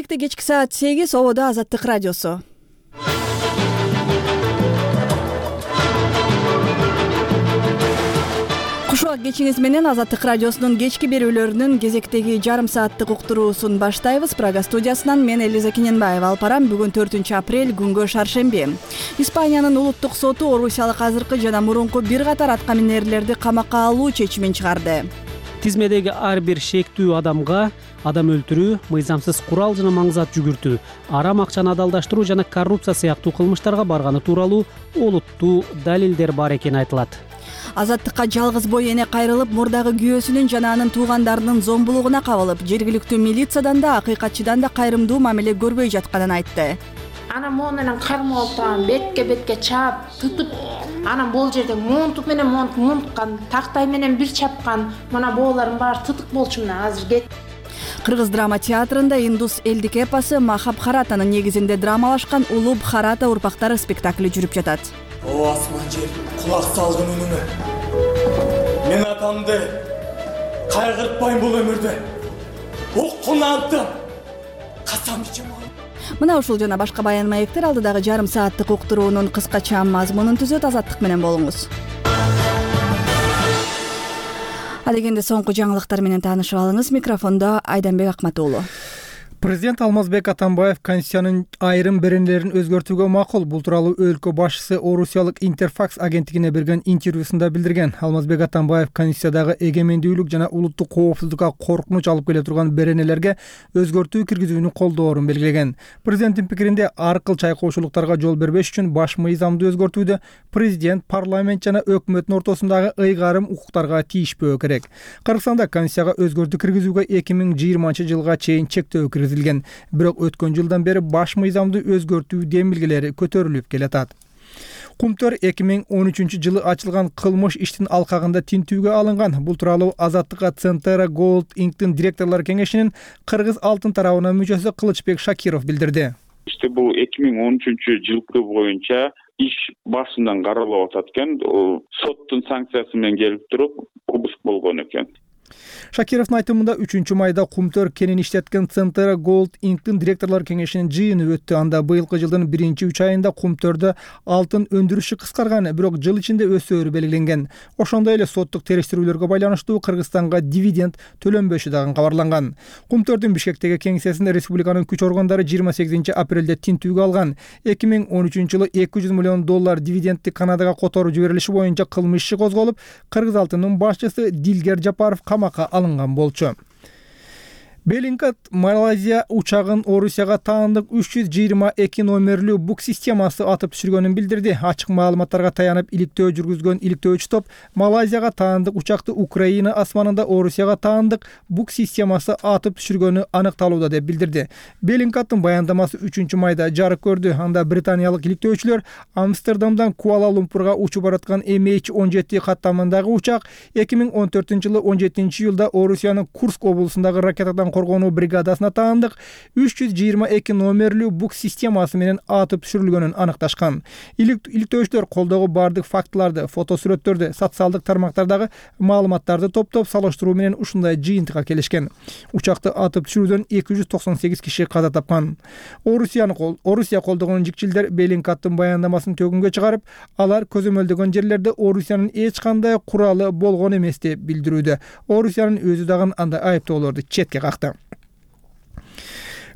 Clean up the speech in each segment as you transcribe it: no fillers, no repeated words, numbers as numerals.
Бишкекте кечки саат 8 ободо Азаттык радиосу. Кушубак кечиңиз менен Азаттык радиосунун кечки берүүлөрүнүн кезектеги жарым сааттык уктуруусун баштайбыз. Прага студиясынан мен Элиза Кененбаева. Алпарам, бүгүн 4-апрель, күнгө шаршемби. Испаниянын улуттук соту орусиялык азыркы жана мурунку бир катар аткаминерлерди камакка алуу чечимин чыгарды. Тизмедеги ар бир шектүү адамга адам өлтүрүү, мыйзамсыз курал жана маңзат жүгүртүү, арам акчаны адалдаштыруу жана коррупция сыяктуу кылмыштарга барганы тууралуу олуттуу далилдер бар экени айтылат. Азаттыкка жалгыз бой эне кайрылып, мурдагы күйөөсүнүн жана анын туугандарынын зомбулугуна кабылып, жергиликтүү милициядан да, акыйкатчыдан да кайрымдуу мамиле көрбөй жатканын айтты. Анан могу менен кармап алып, бетке чаап, тутуп, анан бул жерде монтуп менен монткан, тактай менен бир чапкан, мына боолордун баары тытык болчу мына азыр кет. Кыргыз драма театрында индус элдик эпосу Махабхаратанын негизинде драмалашкан Улуу Бхарата урпактары спектакли жүрүп жатат. О асман жер, кулак салгын үнүңө. Мен атамды кайгыртпайм бул өмүрдө. Уккунантым. Касам ичем. Мына ушул жана башка баян маектер алдыдагы жарым сааттык уктуруунун кыскача мазмунун түзөт. Азаттык менен болуңуз. Адегенде соңку жаңылыктар менен таанышып алыңыз. Микрофондо Айданбек Акматуулу. Президент Алмазбек Атамбаев Конституциянын айрым беренелерин өзгөртүүгө макул. Бул тууралуу өлкө башчысы орусиялык Интерфакс агенттигине берген интервьюсунда билдирген. Алмазбек Атамбаев Конституциядагы эгемендүүлүк жана улуттук коопсуздукка коркунуч алып келе турган беренелерге өзгөртүү киргизүүнү колдоорун белгилеген. Президенттин пикиринде ар кыл чайкоочулуктарга жол бербеш үчүн баш мыйзамды өзгөртүүдө президент, парламент жана өкмөттүн ортосундагы ыйгарым укуктарга тийишпөө керек. Кыргызстанда Конституцияга өзгөртүү киргизүүгө 2020-жылга чейин чектөө киргизилген. Бирок өткөн жылдан бери баш мыйзамды өзгөртүү демилгелери көтөрүлүп келатат. Кумтөр 2013-жылы ачылган кылмыш иштин алкагында тинтүүгө алынган. Бул тууралуу Азаттыкка Центера Gold Inc.'тин директорлор кеңешинин Кыргыз алтын тарабынын мүчөсү Кылычбек Шакиров билдирди. Бул 2013-жылкы боюнча иш башынан каралып атат экен. Соттун санкциясы менен келип туруп, обыск болгон экен. Шакировдун айтымында 3-майда Кумтөр кенин иштеткен Центера Gold Inc.'тин директорлор кеңешинин жыйыны өттү. Анда быйылкы жылдын 1-3 айында Кумтөрдө алтын өндүрүшү кыскарган, бирок жыл ичинде өсөөрү белгиленген. Ошондой эле соттук териштирүүлөргө байланыштуу Кыргызстанга дивиденд төлөнбөшү дагы кабарланган. Кумтөрдүн Бишкектеги кеңсесин республиканын күч органдары 28-апрелде тинтүүгө алган. 2013-жылы $200 миллион дивидендти Канадага которуп жиберилиши боюнча кылмыш иши козголуп, Кыргыз алтынынын башчысы Дилгер Жапаров камакка алынган болчу. Беллингкат Малайзия учагын Орусияга таандык 322 номерлүү бук системасы атып түшүргөнүн билдирди. Ачык маалыматтарга таянып иликтөө жүргүзгөн иликтөөчү топ Малайзияга таандык учакты Украина асманында Орусияга таандык бук системасы атып түшүргөнү аныкталууда деп билдирди. Беллингкаттын баяндамасы 3-майда жарык көрдү. Анда британиялык иликтөөчүлөр Амстердамдан Куала-Лумпурга учуп бараткан MH17 каттамындагы учак 2014-жылы 17-июлда Орусиянын Курск облусундагы ракетадан коргонуу бригадасына таандык 322 номерлүү бук системасы менен атып түшүрүлгөнүн аныкташкан. Иликтөөчүлөр колдогу бардык фактыларды, фотосүрөттөрдү, социалдык тармактардагы маалыматтарды топтоп салыштыруу менен ушундай жыйынтыкка келишкен. Учакты атып түшүрүүдөн 298 киши каза тапкан. Орусия колдогон жикчилдер Беллингкаттын баяндамасын төгүнгө чыгарып, алар көзөмөлдөгөн жерлерде Орусиянын эч кандай куралы болгон эмес деп билдирүүдө. Орусиянын өзү дагы андай айыптоолорду четке какты.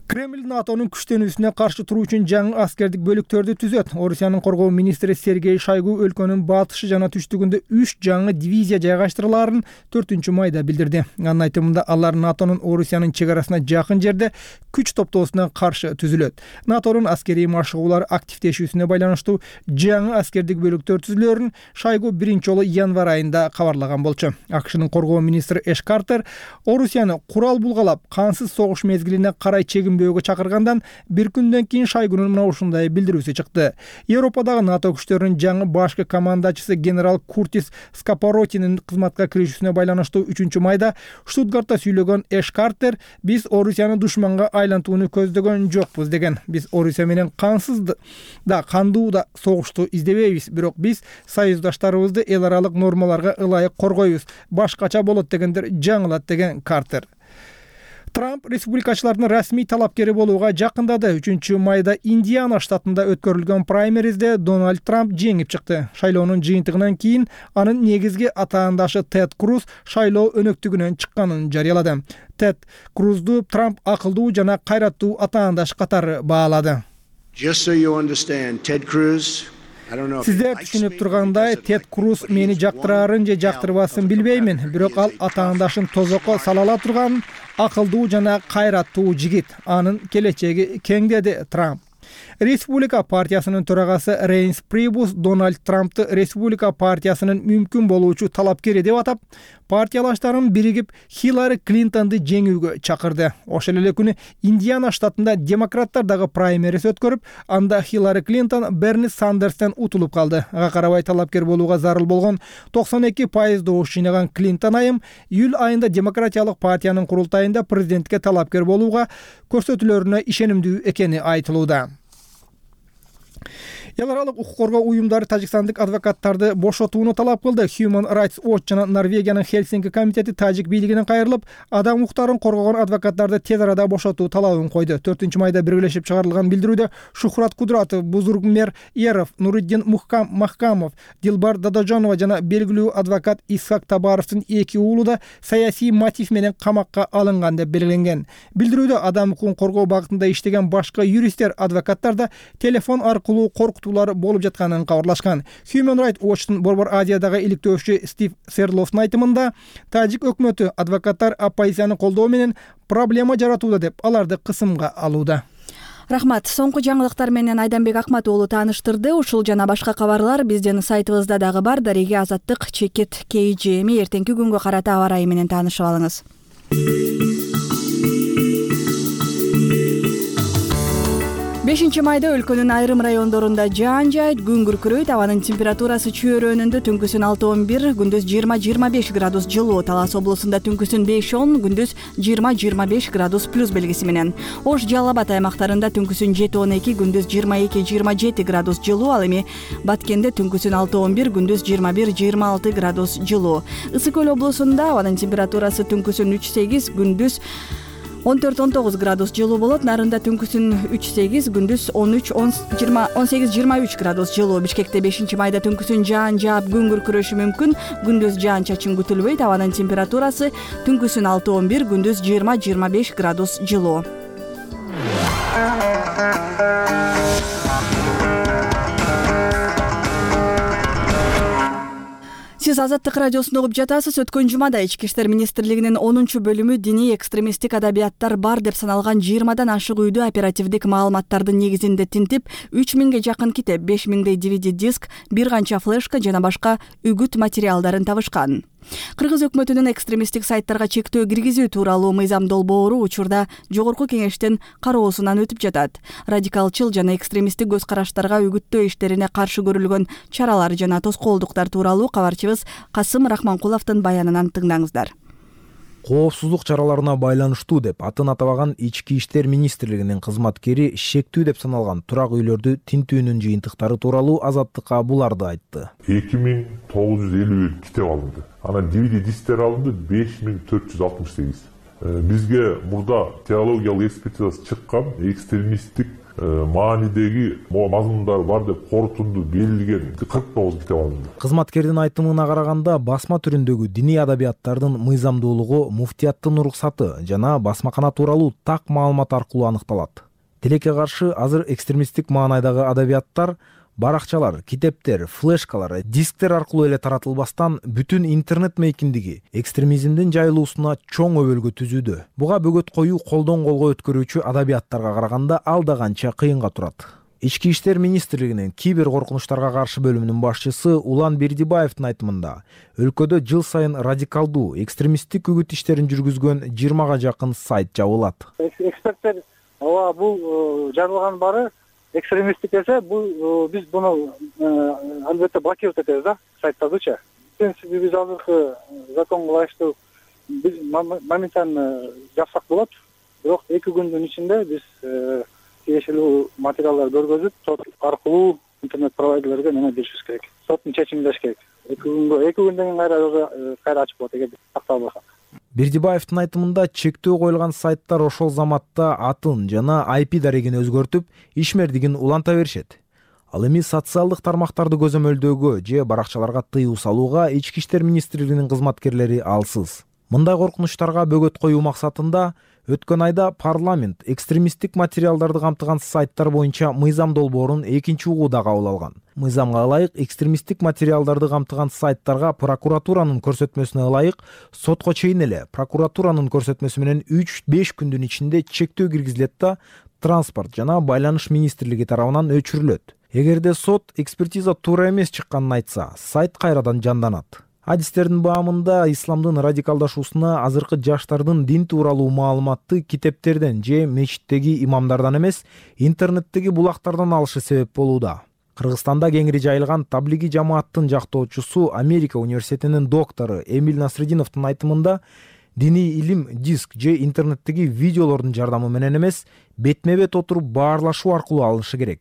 Кремль НАТОнун күчтөнүүсүнө каршы туруу үчүн жаңы аскердик бөлүктөрдү түзөт. Орусиянын коргоо министри Сергей Шойгу өлкөнүн батышы жана түштүгүндө 3 жаңы дивизия жайгаштырылаарын 4-майда билдирди. Анын айтымында алар НАТОнун Орусиянын чек арасына жакын жерде күч топтоосуна каршы түзүлөт. НАТОнун аскерий машыгуулар активдешүүсүнө байланыштуу жаңы аскердик бөлүктөр түзүлөөрүн Шойгу 1-жолу январь айында кабарлаган болчу. АКШнын коргоо министри Эш Картер Орусияны курал булгалап, кансыз согуш мезгилине карай чегинбөөгө чакыргандан бир күндөн кийин Шойгунун мына ушундай билдирүүсү чыкты. Европадагы НАТО күчтөрүнүн жаңы башкы командачысы генерал Куртис Скапоротинин кызматка киришүүсүнө байланыштуу 3-майда Штутгартта сүйлөгөн Эш Картер: "Биз Орусияны душманга айлантууну көздөгөн жокпуз" деген. "Биз Орусия менен кансыз да кандуу да согушту издебейбиз, бирок биз союздаштарыбызды эл аралык нормаларга ылайык коргойбуз. Башкача болот дегендер жаңылат" деген Картер. Трамп республикачылардын расмий талапкери болууга жакындады. 3-майда Индиана штатында өткөрүлгөн праймеризде Дональд Трамп жеңип чыкты. Шайлоонун жыйынтыгынан кийин анын негизги атаандашы Тед Круз шайлоо өнөктүгүнөн чыкканын жарыялады. Тед Крузду Трамп акылдуу жана кайраттуу атаандаш катары баалады. Сиздер түшүнүп тургандай, Тед Круз мени жактырарын же жактырбасын билбеймин, бирок ал атаандашын тозокко сала ала турган акылдуу жана кайраттуу жигит. Анын келечеги кең, деди Трамп. Республика партиясынын төрагасы Рейнс Прибус Дональд Трампты Республика партиясынын мүмкүн болуучу талапкери деп атап, партиялаштарын биригип Хиллари Клинтонду жеңүүгө чакырды. Ошол эле күнү Индиана штатында демократтар дагы праймериз өткөрүп, анда Хиллари Клинтон Берни Сандерстен утулуп калды. Ага карабай талапкер болууга зарыл болгон 92% добуш жыйнаган Клинтон айым июль айында демократиялык партиянын курултайында президентке талапкер болууга көрсөтүүлөрүнө ишенимдүү экени айтылууда. Эл аралык укук коргоо уюмдары тажикстандык адвокаттарды бошотууну талап кылды. Human Rights Watch жана Норвегиянын Хельсинки комитети тажик бийлигинен кайрылып, адам укуктарын коргогон адвокаттарды тез арада бошотуу талабын койду. 4-майда биргелешип чыгарылган билдирүүдө Шухрат Кудратов, Бузургмер Еров, Нуриддин Махкамов, Дилбар Дадажонова жана белгилүү адвокат Исхак Табаровдун 2 уулу да саясий мотив менен камакка алынган деп белгиленген. Билдирүүдө адам укугун коргоо багытында иштеген башка юристтер, адвокаттар да телефон аркылуу коркутуулар болуп жатканын кабарлашкан. Human Rights Watch'тун Борбор Азиядагы иликтөөчү Стив Серловдун айтымында, тажик өкмөтү адвокаттар оппозицияны колдоо менен проблема жаратууда деп аларды кысымга алууда. Рахмат. Соңку жаңылыктар менен Айданбек Акмат уулу тааныштырды. Ушул жана башка кабарлар биздин сайтыбызда дагы бар. Дареги Азаттык чекит KGM эртеңки күнгө карата аба ырайы менен таанышып алыңыз. 5-майда өлкөнүн айрым райондорунда жаан жайт, күн күркүрөйт, абанын температурасы чөйрөнүндө түнкүсүн 6-11, күндүз 20-25 градус жылуу, Талас облусунда түнкүсүн 5-10, күндүз 20-25 градус плюс белгиси менен. Ош, Жалал Абад аймактарында түнкүсүн 7-12, күндүз 22-27 градус жылуу, ал эми Баткенде түнкүсүн 6-11, күндүз 21-26 градус жылуу. Ысык Көл облусунда абанын температурасы түнкүсүн 3-8, күндүз 14-19 градус жылуу болот. Нарында түнкүсүн 3-8, күндүз 18-23 градус жылуу. Бишкекте 5-майда түнкүсүн жаан жаап, күн күркүрөшү мүмкүн. Күндүз жаан чачын күтүлбөйт. Абанын температурасы түнкүсүн 6-11, күндүз 20-25 градус жылуу. Сиз Азаттык радиосун угуп жатасыз. Өткөн жумада Ички иштер министрлигинин 10-бөлүмү диний экстремисттик адабияттар бар деп саналган 20дан ашык үйдү оперативдик маалыматтардын негизинде тинтип, 3000ге жакын китеп, 5000дей DVD диск, бир канча флешка жана башка үгүт материалдарын табышкан. Кыргыз өкмөтүнүн экстремисттик сайттарга чектөө киргизүү тууралуу мыйзам долбоору учурда Жогорку кеңештин кароосунан өтүп жатат. Радикалчыл жана экстремисттик көз караштарга үгүттөө иштерине каршы көрүлгөн чаралар жана тоскоолдуктар тууралуу кабарчыбыз Касым Рахманкуловдун баянынан тыңдаңыздар. Коопсуздук чараларына байланыштуу деп атын атабаган Ички иштер министрлигинин кызматкери шектүү деп саналган турак үйлөрдү тинтүүнүн жыйынтыктары тууралуу Азаттыкка буларды айтты. 2951 китеп алынды. Анан DVD дисктер алынды 5468. Бизге мурда теологиялык экспертизасы чыккан экстремисттик маанидеги мазмундар бар деп корутунду белгилеген 49 китеп алынды. Кызматкердин айтымына караганда, басма түрүндөгү диний адабияттардын мыйзамдуулугу муфтияттын уруксаты жана басмакана тууралуу так маалымат аркылуу аныкталат. Тилекке каршы азыр экстремисттик маанайдагы адабияттар баракчалар, китептер, флешкалар, дисктер аркылуу эле таратылбастан бүтүн интернет мейкиндиги экстремизмдин жайылуусуна чоң өбөлгө түзүүдө. Буга бөгөт коюу колдон колго өткөрүүчү адабияттарга караганда ал да канча кыйынга турат. Ички иштер министрлигинин кибер коркунучтарга каршы бөлүмүнүн башчысы Улан Бердибаевдин айтымында, өлкөдө жыл сайын радикалдуу экстремисттик үгүт иштерин жүргүзгөн 20га жакын сайт жабылат. Эксперттер бул жабылган бары экстремисттик эсе, биз буну албетте блокировать этебиз да, сайттардычы. Биз азыркы законго ылайыктуу биз моментально жапсак болот. Бирок 2 күндүн ичинде биз тиешелүү материалдар көргөзүп, сот аркылуу интернет провайдерлерге неме беришибиз керек. Соттун чечимин бериш керек. 2 күндөн кийин кайра ачып болот эгер такталбаса. Бердибаевдин айтымында чектөө коюлган сайттар ошол заматта атын жана IP дарегин өзгөртүп, ишмердигин уланта беришет. Ал эми социалдык тармактарды көзөмөлдөөгө же баракчаларга тыюу салууга Ички иштер министрлигинин кызматкерлери алсыз. Мындай коркунучтарга бөгөт коюу максатында өткөн айда парламент экстремисттик материалдарды камтыган сайттар боюнча мыйзам долбоорун экинчи угууда кабыл алган. Мыйзамга ылайык экстремисттик материалдарды камтыган сайттарга прокуратуранын көрсөтмөсүнө ылайык сотко чейин эле прокуратуранын көрсөтмөсү менен 3-5 күндүн ичинде чектөө киргизилет да Транспорт жана Байланыш министрлиги тарабынан өчүрүлөт. Эгерде сот экспертиза туура эмес чыкканын айтса, сайт кайрадан жанданат. Адистердин баамында исламдын радикалдашуусуна азыркы жаштардын дин тууралуу маалыматты китептерден же мечиттеги имамдардан эмес, интернеттеги булактардан алышы себеп болууда. Кыргызстанда кеңири жайылган таблиги жамааттын жактоочусу Америка университетинин доктору Эмиль Насреддиновдун айтымында диний илим диск же интернеттеги видеолордун жардамы менен эмес, бетме-бет отуруп баарлашуу аркылуу алынышы керек.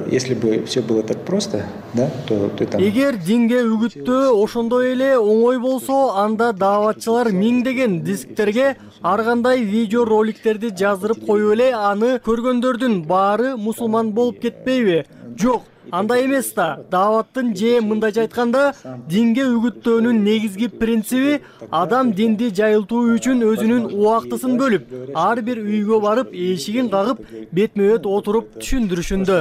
Если бы все было так просто, да, то там... Эгер динге үгүттөө ошондой эле оңой болсо, анда дааватчылар миңдеген дисктерге ар кандай видео роликтерди жаздырып коюп эле аны көргөндөрдүн баары мусулман болуп кетпейби? Жок. Андай эмес да. Дааваттын же мындайча айтканда, динге үгүттөөнүн негизги принциби адам динди жайылтуу үчүн өзүнүн убактысын бөлүп, ар бир үйгө барып, эшигин кагып, бетме-бет отуруп түшүндүрүшүндө.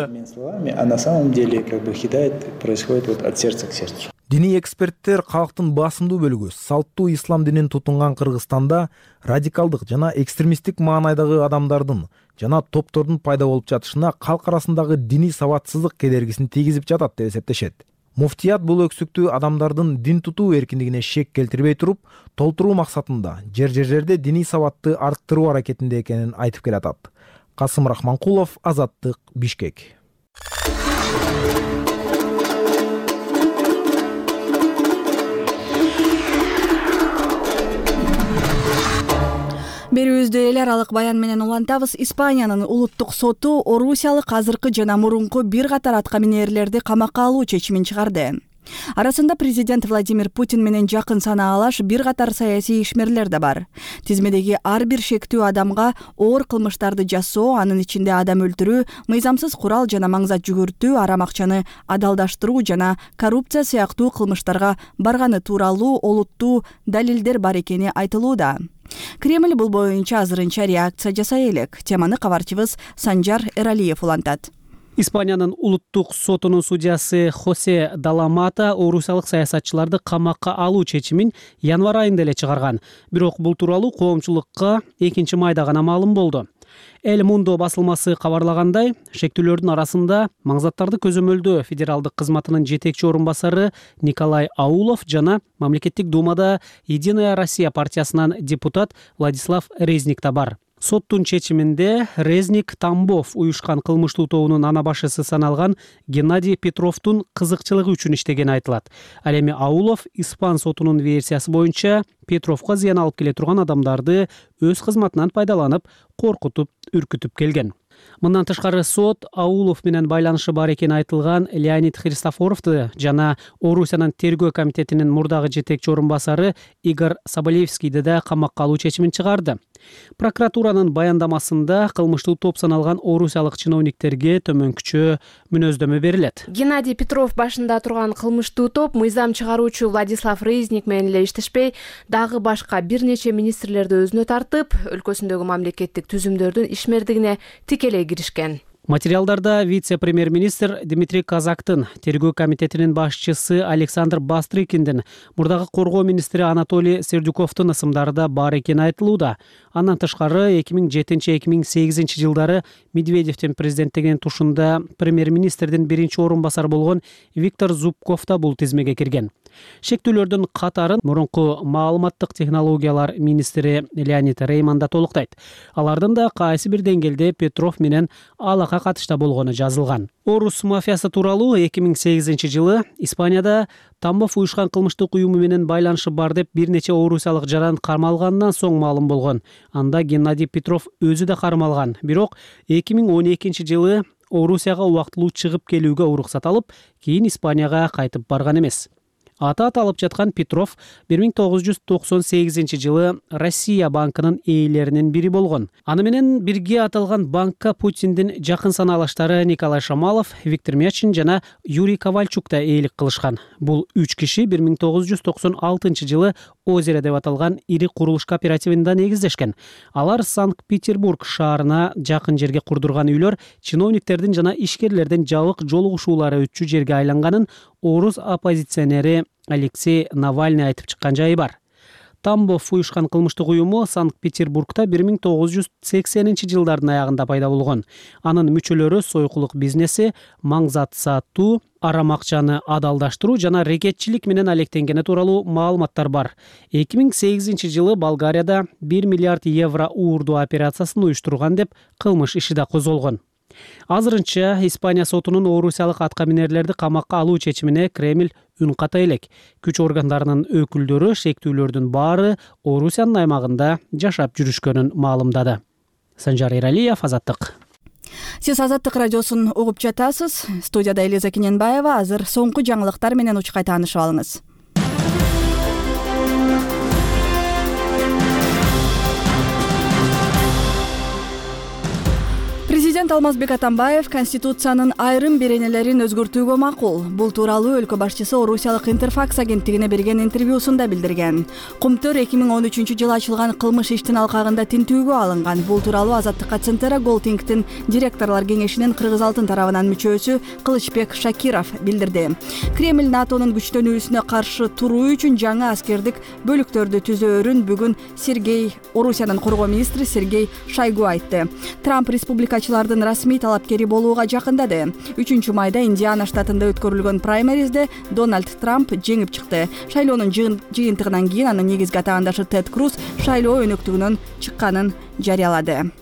А на самом деле хидаят происходит от сердца к сердцу. Диний эксперттер калктын басымдуу бөлүгү салттуу ислам динин тутунган Кыргызстанда радикалдык жана экстремисттик маанайдагы адамдардын жана топтордун пайда болуп жатышына калк арасындагы диний сабатсыздык кедергисин тийгизип жатат деп эсептешет. Муфтият бул өксүктүү адамдардын дин тутуу эркиндигине шек келтирбей туруп, толтуруу максатында жер-жерлерде диний сабатты арттыруу аракетинде экенин айтып келатат. Касым Рахманкулов, Азаттык, Бишкек. Берүүбүздү эл аралык баян менен улантабыз. Испаниянын улуттук соту орусиялык азыркы жана мурунку бир катар аткаминерлерди камакка алуу чечимин чыгарды. Арасында президент Владимир Путин менен жакын санаалаш бир катар саясий ишмерлер да бар. Тизмедеги ар бир шектүү адамга оор кылмыштарды жасоо, анын ичинде адам өлтүрүү, мыйзамсыз курал жана маңзат жүгүртүү, арам акчаны адалдаштыруу жана коррупция сыяктуу кылмыштарга барганы тууралуу олуттуу далилдер бар экени айтылууда. Кремль бул боюнча азырынча реакция жасай элек. Теманы кабарчыбыз Санжар Эралиев улантат. Испаниянын улуттук сотунун судьясы Хосе Даламата орусиялык саясатчыларды камакка алуу чечимин январь айында эле чыгарган. Бирок бул тууралуу коомчулукка 2 майда гана маалым болду. Эль Мундо басылмасы кабарлагандай, шектүүлөрдүн арасында маңзаттарды көзөмөлдөө федералдык кызматынын жетекчи орун басары Николай Аулов жана мамлекеттик думада Единая Россия партиясынан депутат Владислав Резник да бар. Соттун чечиминде Резник Тамбов уюшкан кылмыштуу тобунун ана башчысы саналган Геннадий Петровдун кызыкчылыгы үчүн иштегени айтылат. Ал эми Аулов испан сотунун версиясы боюнча Петровго зыян алып келе турган адамдарды өз кызматынан пайдаланып, коркутуп, үркүтүп келген. Мындан тышкары сот Аулов менен байланышы бар экени айтылган Леонид Христофоровду жана Орусиянын тергөө комитетинин мурдагы жетекчи орун басары Игорь Соболевскийди да камакка алуу чечимин чыгарды. Прокуратуранын баяндамасында кылмыштуу топ саналган орусиялык чиновниктерге төмөнкүчө мүнөздөмө берилет. Геннадий Петров башында турган кылмыштуу топ мыйзам чыгаруучу Владислав Резник менен эле иштешпей, дагы башка бир нече министрлерди өзүнө тартып, өлкөсүндөгү мамлекеттик түзүмдөрдүн ишмердигине тикелей киришкен. Материалдарда вице-премьер-министр Дмитрий Казактын, тергөө комитетинин башчысы Александр Бастрыкиндин, мурдагы коргоо министри Анатолий Сердюковдун ысымдары да бар экени айтылууда. Андан тышкары 2007-2008 жылдары Медведевдин президенттигинин тушунда премьер-министрдин биринчи орун басары болгон Виктор Зубков да бул тизмеге кирген. Шектүүлөрдүн катарын мурунку маалыматтык технологиялар министри Леонид Рейман да толуктайт. Алардын да кайсы бир деңгээлде Петров менен алака катышта болгону жазылган. Орус мафиясы тууралуу 2008 жылы Испанияда Тамбов уюшкан кылмыштык уюму менен байланышы бар деп бир нече орусиялык жаран кармалгандан соң маалым болгон. Анда Геннадий Петров өзү да кармалган. Бирок 2012 жылы Орусияга убактылуу чыгып келүүгө уруксат алып, кийин Испанияга кайтып барган эмес. Аты алып жаткан Петров 1998-жылы Россия банкынын ээлеринин бири болгон. Аны менен бирге аталган банкка Путиндин жакын санаалаштары Николай Шамалов, Виктор Мячин жана Юрий Ковальчук да ээлик кылышкан. Бул 3 киши 1996-жылы Озеро деп аталган ири курулуш кооперативинде негиздешкен. Алар Санкт-Петербург шаарына жакын жерге курдурган үйлөр чиновниктердин жана ишкерлердин жабык жолугушуулары өтчү жерге айланганын орус оппозиционери Алексей Навальный айтып чыккан жайы бар. Тамбов уюшкан кылмыштык уюму Санкт-Петербургда 1980-жылдардын аягында пайда болгон. Анын мүчөлөрү сойкулук бизнеси, маң зат сатуу, арам акчаны адалдаштыруу жана рекетчилик менен алектенгени тууралуу маалыматтар бар. 2008-жылы Болгарияда 1 миллиард евро уурдуу операциясын уюштурган деп кылмыш иши да козголгон. Азырынча Испания сотунун орусиялык аткаминерлерди камакка алуу чечимине Кремль үн ката элек. Күч органдарынын өкүлдөрү шектүүлөрдүн баары Орусиянын аймагында жашап жүрүшкөнүн маалымдады. Санжар Эралиев, Азаттык. Сиз Азаттык радиосун угуп жатасыз. Студияда Элиза Кененбаева. Азыр соңку жаңылыктар менен учкай таанышып алыңыз. Президент Алмазбек Атамбаев Конституциянын айрым беренелерин өзгөртүүгө макул. Бул тууралуу өлкө башчысы Орусиялык Интерфакс агенттигине берген интервьюсунда билдирген. Кумтөр 2013-жылы ачылган кылмыш иштин алкагында тинтүүгө алынган. Бул тууралуу Азаттыкка Центра Голдингтин директорлор кеңешинин Кыргыз Алтын тарабынан мүчөсү Кылычбек Шакиров билдирди. Кремль НАТОнун күчтөнүүсүнө каршы туруу үчүн жаңы аскердик бөлүктөрдү түзөөрүн бүгүн Орусиянын коргоо министри Сергей Шойгу айтты. Трамп республикачылардын расмий талапкери болууга жакындады. 3-майда Индиана штатында өткөрүлгөн праймеризде Дональд Трамп жеңип чыкты. Шайлоонун жыйынтыгынан кийин анын негизги атаандашы Тед Круз шайлоо өнөктүгүнөн чыкканын жарыялады.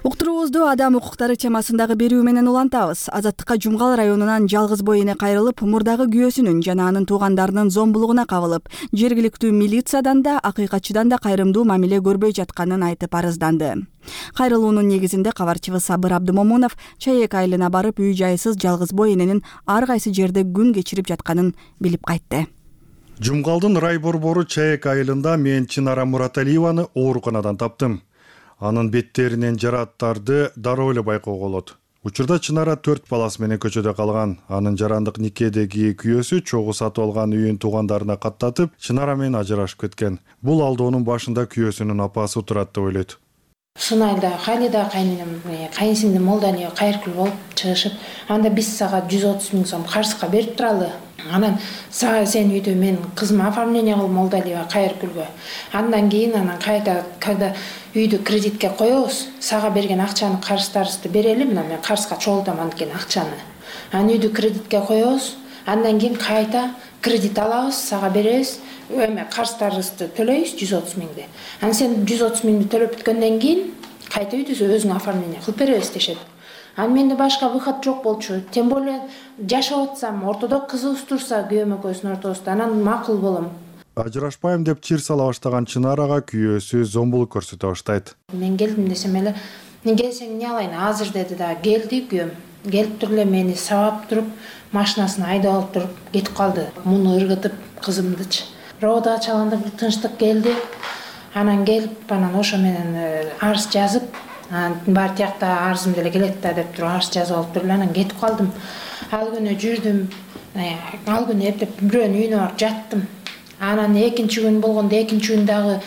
Уктуруубузду адам укуктары темасындагы берүү менен улантабыз. Азаттыкка Жумгал районунан жалгыз бой эне кайрылып, мурдагы күйөөсүнүн жана анын туугандарынын зомбулугуна кабылып, жергиликтүү милициядан да, акыйкатчыдан да кайрымдуу мамиле көрбөй жатканын айтып арызданды. Кайрылуунун негизинде кабарчыбыз Сабыр Абдымомунов Чаек айылына барып, үй жайсыз жалгыз бой эненин ар кайсы жерде күн кечирип жатканын билип кайтты. Жумгалдын рай борбору Чаек айылында мен Чынара Мураталиеваны ооруканадан таптым. Анын беттеринен жарааттарды дароо эле байкоого болот. Учурда Чынара 4 баласы менен көчөдө калган. Анын жарандык никедеги күйөөсү чогуу сатып алган үйүн туугандарына каттатып, Чынара менен ажырашып кеткен. Бул алдоонун башында күйөөсүнүн апасы турат деп ойлойт. Сынайда Халида кайненем, кайынсиңдим Молдания кайыркүл болуп чыгышып, анда биз сага 130 000 сом карызга берип туралы. Анан сага сен үйдө мен кызыма оформление кыл Молдалия кайыркүлгө. Андан кийин кайда когда үйдү кредитке коебуз, сага берген акчаны карыздарыбызды берели, мына мен карызга чогултам анткени акчаны. Анан үйдү кредитке коебуз, андан кийин кайта кредит алабыз, сага беребиз. Эме карыздарыбызды төлөйбүз 130 000. Анан сен 130 000 төлөп бүткөндөн кийин кайта үйдү өзүң оформление кылып беребиз дешет. Анан менде башка выход жок болчу. Тем более жашап атсам, ортодо кызыбыз турса, күйөөм экөөбүздүн ортобузда, анан макул болом. Ажырашпайм деп чир сала баштаган Чынарага күйөөсү зомбулук көрсөтө баштайт. Мен келдим десем эле, келсең эмне алайын, азыр деди да, келди күйөөм. Келип туруп эле мени сабап туруп, машинасын айдап алып туруп кетип калды. Муну ыргытып кызымдычы. Рода ачалганда бир тынчтык келди. Анан келип, анан ошо менен арыз жазып, бар тиякта арызым деле келет да деп туруп арыз жазып алып туруп анан кетип калдым. Ал күнү жүрдүм. Ал күнү эптеп бирөөнүн үйүнө барып жаттым. Анан экинчи күн болгондо экинчи күн дагы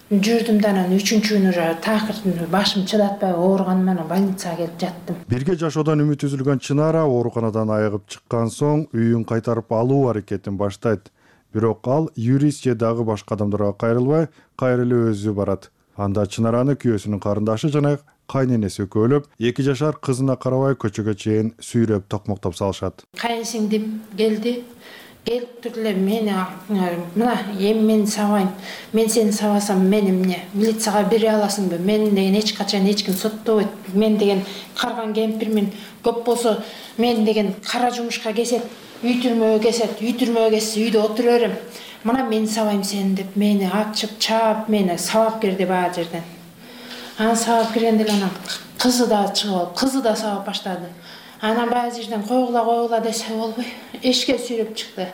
жүрдүм да анан үчүнчү күнү такыр башым чыдатпай ооруганыман анан больницага келип жаттым. Бирге жашоодон үмүт үзүлгөн Чынара ооруканадан айыгып чыккан соң үйүн кайтарып алуу аракетин баштайт. Бирок ал юрист же дагы башка адамдарга кайрылбай, кайра эле өзү барат. Анда Чынараны күйөөсүнүн карындашы жана кайненеси экөөлөп, 2 жашар кызына карабай көчөгө чейин сүйрөп токмоктоп салышат. Кайынсиңдим келди. Келип туруп эле мени мына эми мен сабайм. Мен сени сабасам мен эмне? Милицияга бере аласыңбы? Мен деген эч качан эч ким соттобойт. Мен деген карган кемпирмин. Көп болсо мен деген кара жумушка кесет, үй түрмөгө кесет, үй түрмөгө кессе үйдө отура берем. Мына мен сабайм сени деп мени ачып, чаап, мени сабап кирди баа жерден. Анан сабап киргенде анан кызы да чыгып алып, кызы да сабап баштады. Анан баары жерден койгула десе болбой, эшикке сүйрөп чыкты.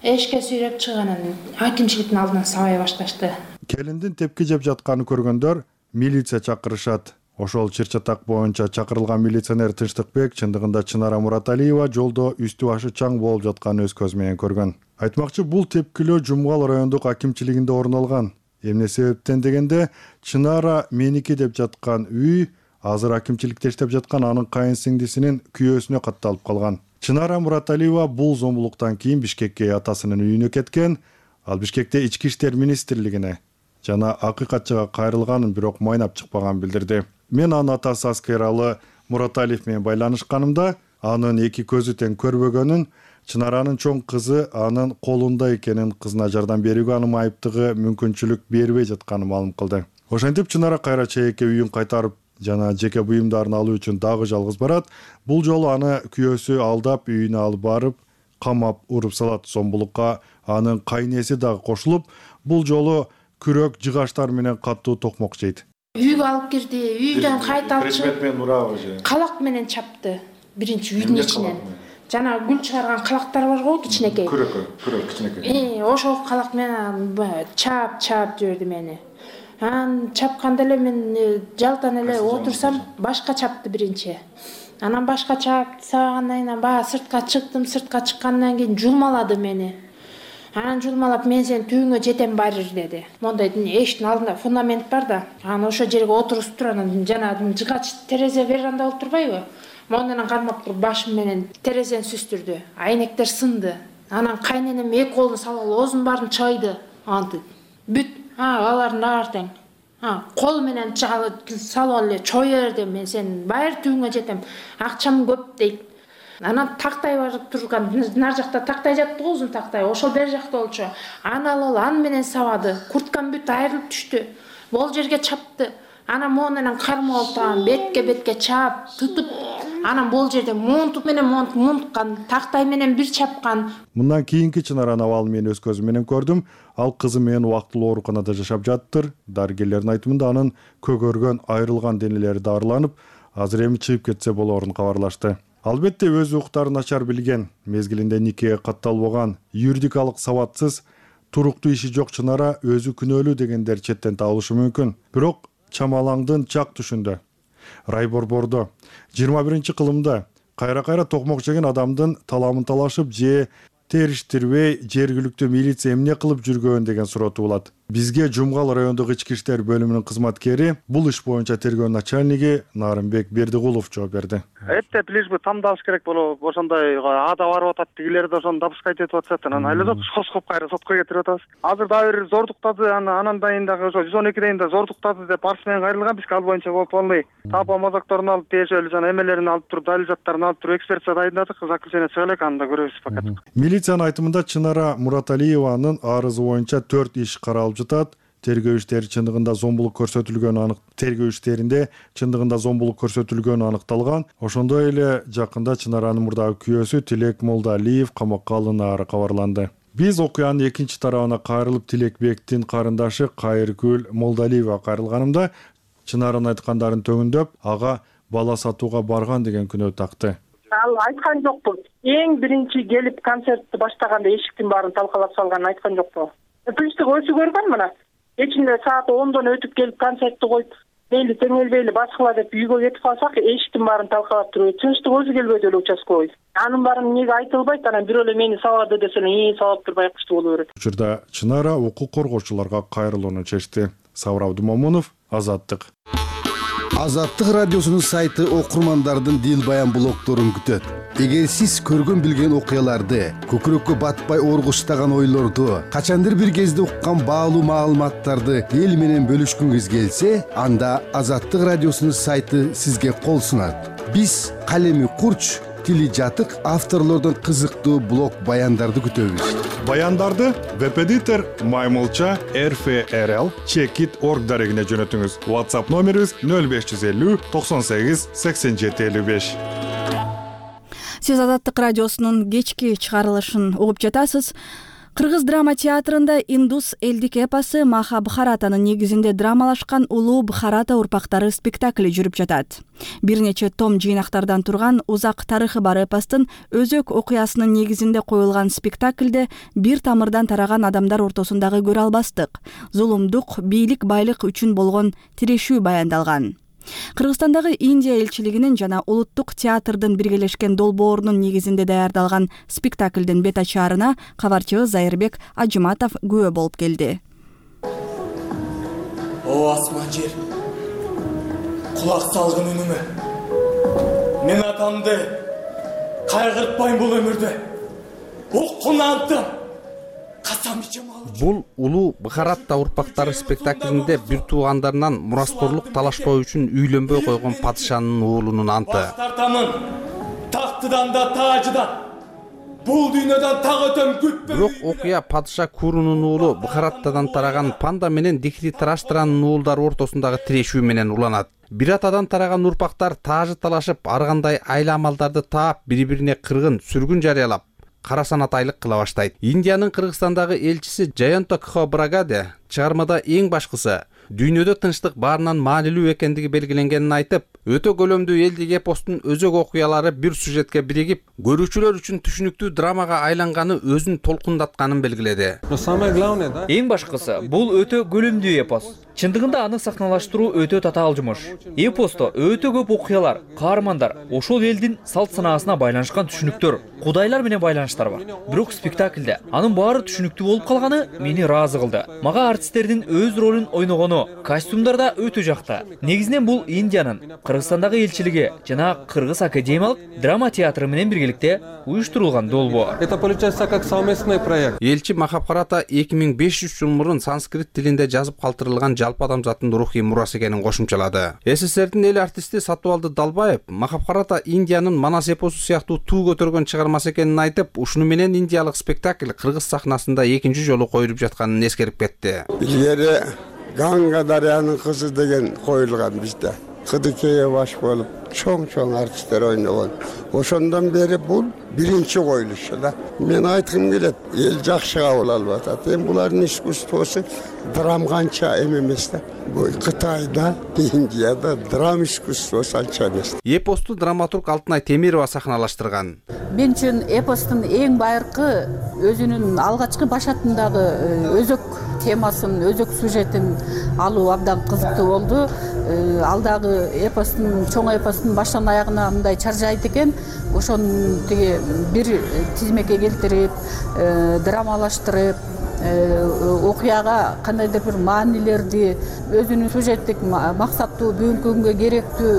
Эшикке сүйрөп чыганын акимчиликтин алдынан сабай башташты. Келиндин тепки жеп жатканын көргөндөр милиция чакырышат. Ошол чыр-чатак боюнча чакырылган милиционер Тынчтыкбек чындыгында Чынара Мураталиева жолдо үстү башы чаң болуп жатканын өз көзү менен көргөн. Айтмакчы, бул тепкилөө Жумгал райондук акимчилигинде орун алган. Эмне себептен дегенде, Чынара меники деп жаткан үй азыр акимчиликте иштеп жаткан анын кайын сиңдисинин күйөөсүнө катталып калган. Чынара Мураталиева бул зомбулуктан кийин Бишкекке атасынын үйүнө кеткен. Ал Бишкекте Ички иштер министрлигине жана акыйкатчыга кайрылганын, бирок майнап чыкпаганын билдирди. Мен анын атасы Аскералы Мураталиев менен байланышканымда анын эки көзү тең көрбөгөнүн, Чынаранын чоң кызы анын колунда экенин, кызына жардам берүүгө анын айыптыгы мүмкүнчүлүк бербей жатканын маалым кылды. Ошентип Чынара кайра чейекке үйүн кайтарып жана жеке буюмдарын алуу үчүн дагы жалгыз барат. Бул жолу аны күйөөсү алдап үйүнө алып барып, камап уруп салат. Зомбулукка анын кайнеси дагы кошулуп, бул жолу күрөк жыгаштар менен каттуу токмок жейт. Үйгө алып кирди, үйдөн кайта алып чыгып, предмет менен урабы же? Калак менен чапты. Биринчи үйдүн ичинен. Жана гүл чыгарган калактар бар го, кичинекей. Күрөк кичинекей. Ошол калак менен чап жиберди мени. Анан чапканда эле мен жалтан эле отурсам, башка чапты биринчи. Анан башка чапты сабагандан кийин баа сыртка чыктым, сыртка чыккандан кийин жулмалады мени. Анан жулмалап, мен сен түйүңө жетем барыр деди. Мондай эшиктин алдында фундамент бар да. Анан ошол жерге отурусуп туруп, анан жана жыгач терезе веранда болуп турбайбы? Мондан кармап туруп башым менен терезени сүстүрдү. Айнектер сынды. Анан кайненем эки колун салып оозунун баарын чайды. Антип. Бүт. Алардын баары тең. Кол менен салып эле чое берди. Мен сен байыр түйүңө жетем. Акчам көп дейт. Анан тактай бар турган, нар жакта тактай жатты го, узун тактай. Ошол бер жакта болчу. Аны алып аны менен сабады. Курткам бүт айрылып түштү. Бул жерге чапты. Анан монунан кармап алып, бетке чап, тутуп, анан бул жерде монтуп менен монткан, тактай менен бир чапкан. Мындан кийинки Чынараны абалы мен өз көзүм менен көрдүм. Ал кызы менен убактылуу ооруканада жашап жаттыр. Дарыгерлердин айтымында анын көгөргөн, айрылган денелери дарыланып, азыр эми чыгып кетсе болоорун кабарлашты. Албетте өз укуктарын начар билген, мезгилинде никеге катталбаган, юридикалык сабатсыз, туруктуу иши жок Чынара өзү күнөөлүү дегендер четтен табылышы мүмкүн. Бирок чамалаңдын чак түшүндө, Райборбордо 21-кылымда кайра токмок жеген адамдын таламын талашып же териштирбей жергиликтүү милиция эмне кылып жүргөн деген суроо туулат. Бизге Жумгал райондук ички иштер бөлүмүнүн кызматкери, бул иш боюнча тергөө начальниги Нарымбек Бердигулов жооп берди. Эптеп лишь бы тамдабыз керек болуп, ошондой ада барып атат, дигилер да ошону допускать этип атышат. Анан айлап соскоп кайра сотко кетирип атабыз. Азыр дагы бир зордуктады, анан дайын дагы ошо 112 да зордуктады деп арыз менен кайрылган. Бизге ал боюнча полный тапа мазакторун алып, тиешелүү жана эмелерин алып туруп, далил заттарын алып туруп экспертиза дайындадык. Заключение чыга элек, аны да көрөбүз пока. Милициянын айтымында Чынара Мураталиеванын арызы боюнча 4 иш каралып жатат. Тергөө иштери чындыгында зомбулук көрсөтүлгөнү аныкталган. Ошондой эле жакында Чынаранын мурдагы күйөөсү Тилек Молдалиев камакка алынаары кабарланды. Биз окуянын экинчи тарабына кайрылып Тилекбектин карындашы Кайыргүл Молдалиева кайрылганымда Чынаранын айткандарын төмөндөп, ага бала сатууга барган деген күнөө такты. Ал айткан жокпу. Эң биринчи келип концертти баштаганда эшиктин баарын талкалап салганын айткан жокпу. Тынчтык өзү көргөн мына. Кечинде саат 10дон өтүп келип концертти коюп, мейли теңелбейли баскыла деп үйгө кетип калсак, эшиктин баарын талкалап туруп, Тынчтык өзү келбейди эле участковый. Анын баарын эмнеге айтылбайт, анан бирөө эле мени сабады десе эле, сабап туруп байкуштуу боло берет. Учурда Чынара укук коргоочуларга кайрылууну чечти. Сабыр Абдумомунов, Азаттык. Азаттык радиосунун сайты окурмандардын дил баян блогдорун күтөт. Эгер сиз көргөн билген окуяларды, көкүрөккө батпай оргуштаган ойлорду, качандыр бир кезде уккан баалуу маалыматтарды эл менен бөлүшкүңүз келсе, анда Азаттык радиосунун сайты сизге кол сунат. Биз калеми курч, тили жатык авторлордон кызыктуу блог баяндарды күтөбүз. Баяндарды веб-эдитор Маймылча RFRL Checkit.org дарегине жөнөтүңүз. WhatsApp номерибиз 0550 98 87 55. Сиз Азаттык радиосунун кечки чыгарылышын угуп жатасыз. Кыргыз драма театрында индус элдик эпосы Махабхаратанын негизинде драмалашкан Улуу Бхарата урпактары спектакли жүрүп жатат. Бир нече том жыйнактардан турган узак тарыхы бар эпостун өзөк окуясынын негизинде коюлган спектаклде бир тамырдан тараган адамдар ортосундагы көрө албастык, зулумдук, бийлик байлык үчүн болгон тирешүү баяндалган. Кыргызстандагы Индия элчилигинин жана улуттук театрдын биргелешкен долбоорунун негизинде даярдалган спектаклдин бет ачаарына кабарчыбыз Зайырбек Ажыматов күбө болуп келди. О асман жер, кулак салгын үнүмө. Мен атамды кайгыртпайм бул өмүрдө. Уккун анттым. Касам ичем алып. Бул Улуу Бхарата урпактары спектаклинде бир туугандарынан мураскорлук талашпоо үчүн үйлөнбөй койгон падышанын уулунун анты. Баш тартамын, тактыдан да таажыдан. Бул дүйнөдөн так өтөм күтпөй. Бирок окуя падыша Курунун уулу Бхараттадан тараган Панда менен Дихритараштранын уулдары ортосундагы тирешүү менен уланат. Бир атадан тараган урпактар таажы талашып, ар кандай айла амалдарды таап, бири-бирине кыргын, сүргүн жарыялап, кара санатайлык кыла баштайт. Индиянын Кыргызстандагы элчиси Джаянта Кхобрагаде чыгармада эң башкысы дүйнөдө тынчтык баарынан маанилүү экендиги белгиленгенин айтып, өтө көлөмдүү элдик эпостун өзөк окуялары бир сюжетке биригип, көрүүчүлөр үчүн түшүнүктүү драмага айланганы өзүн толкундатканын белгиледи. Эң башкысы бул өтө көлөмдүү эпос. Чындыгында аны сахналаштыруу өтө татаал жумуш. Эпосто өтө көп окуялар, каармандар, ошол элдин салт санаасына байланышкан түшүнүктөр, кудайлар менен байланыштар бар. Бирок спектаклде анын баары түшүнүктүү болуп калганы мени ыраазы кылды. Мага артисттердин өз ролун ойногону, костюмдар да өтө жакты. Негизинен бул Индиянын Кыргызстандагы элчилиги жана Кыргыз академиялык драма театры менен биргеликте уюштурулган долбоор. Это получается как совместный проект. Элчи Махабхарата 2500 жыл мурун санскрит тилинде жазып калтырылган жалпы адамзаттын рухий мурасы экенин кошумчалады. СССРдин эл артисти Сатыбалды Далбаев Махабхарата Индиянын Манас эпосу сыяктуу туу көтөргөн чыгармасы экенин айтып, ушуну менен индиялык спектакль Кыргыз сахнасында экинчи жолу коюлуп жатканын эскерип кетти. Илгери Ганга дарыянын кызы деген коюлган бизде. Кыдыкейге баш болуп, чоң артисттер ойногон. Ошондон бери бул биринчи коюлушу да. Мен айткым келет, эл жакшы кабыл алып атат. Эми булардын искусствосу драм канча эмес да. Бул Кытайда, Индияда драм искусствосу анча эмес. Эпосту драматург Алтынай Темирова сахналаштырган. Мен үчүн эпостун эң байыркы өзүнүн алгачкы башатындагы өзөк темасын, өзөк сюжетин алуу абдан кызыктуу болду. Алдагы эпостун, чоң эпостун баштан аягына мындай чаржайт экен. Ошону тиги бир тизмекке келтирип, драмалаштырып, окуяга кандайдыр бир маанилерди, өзүнүн сюжеттик максаттуу, бүгүнкү күнгө керектүү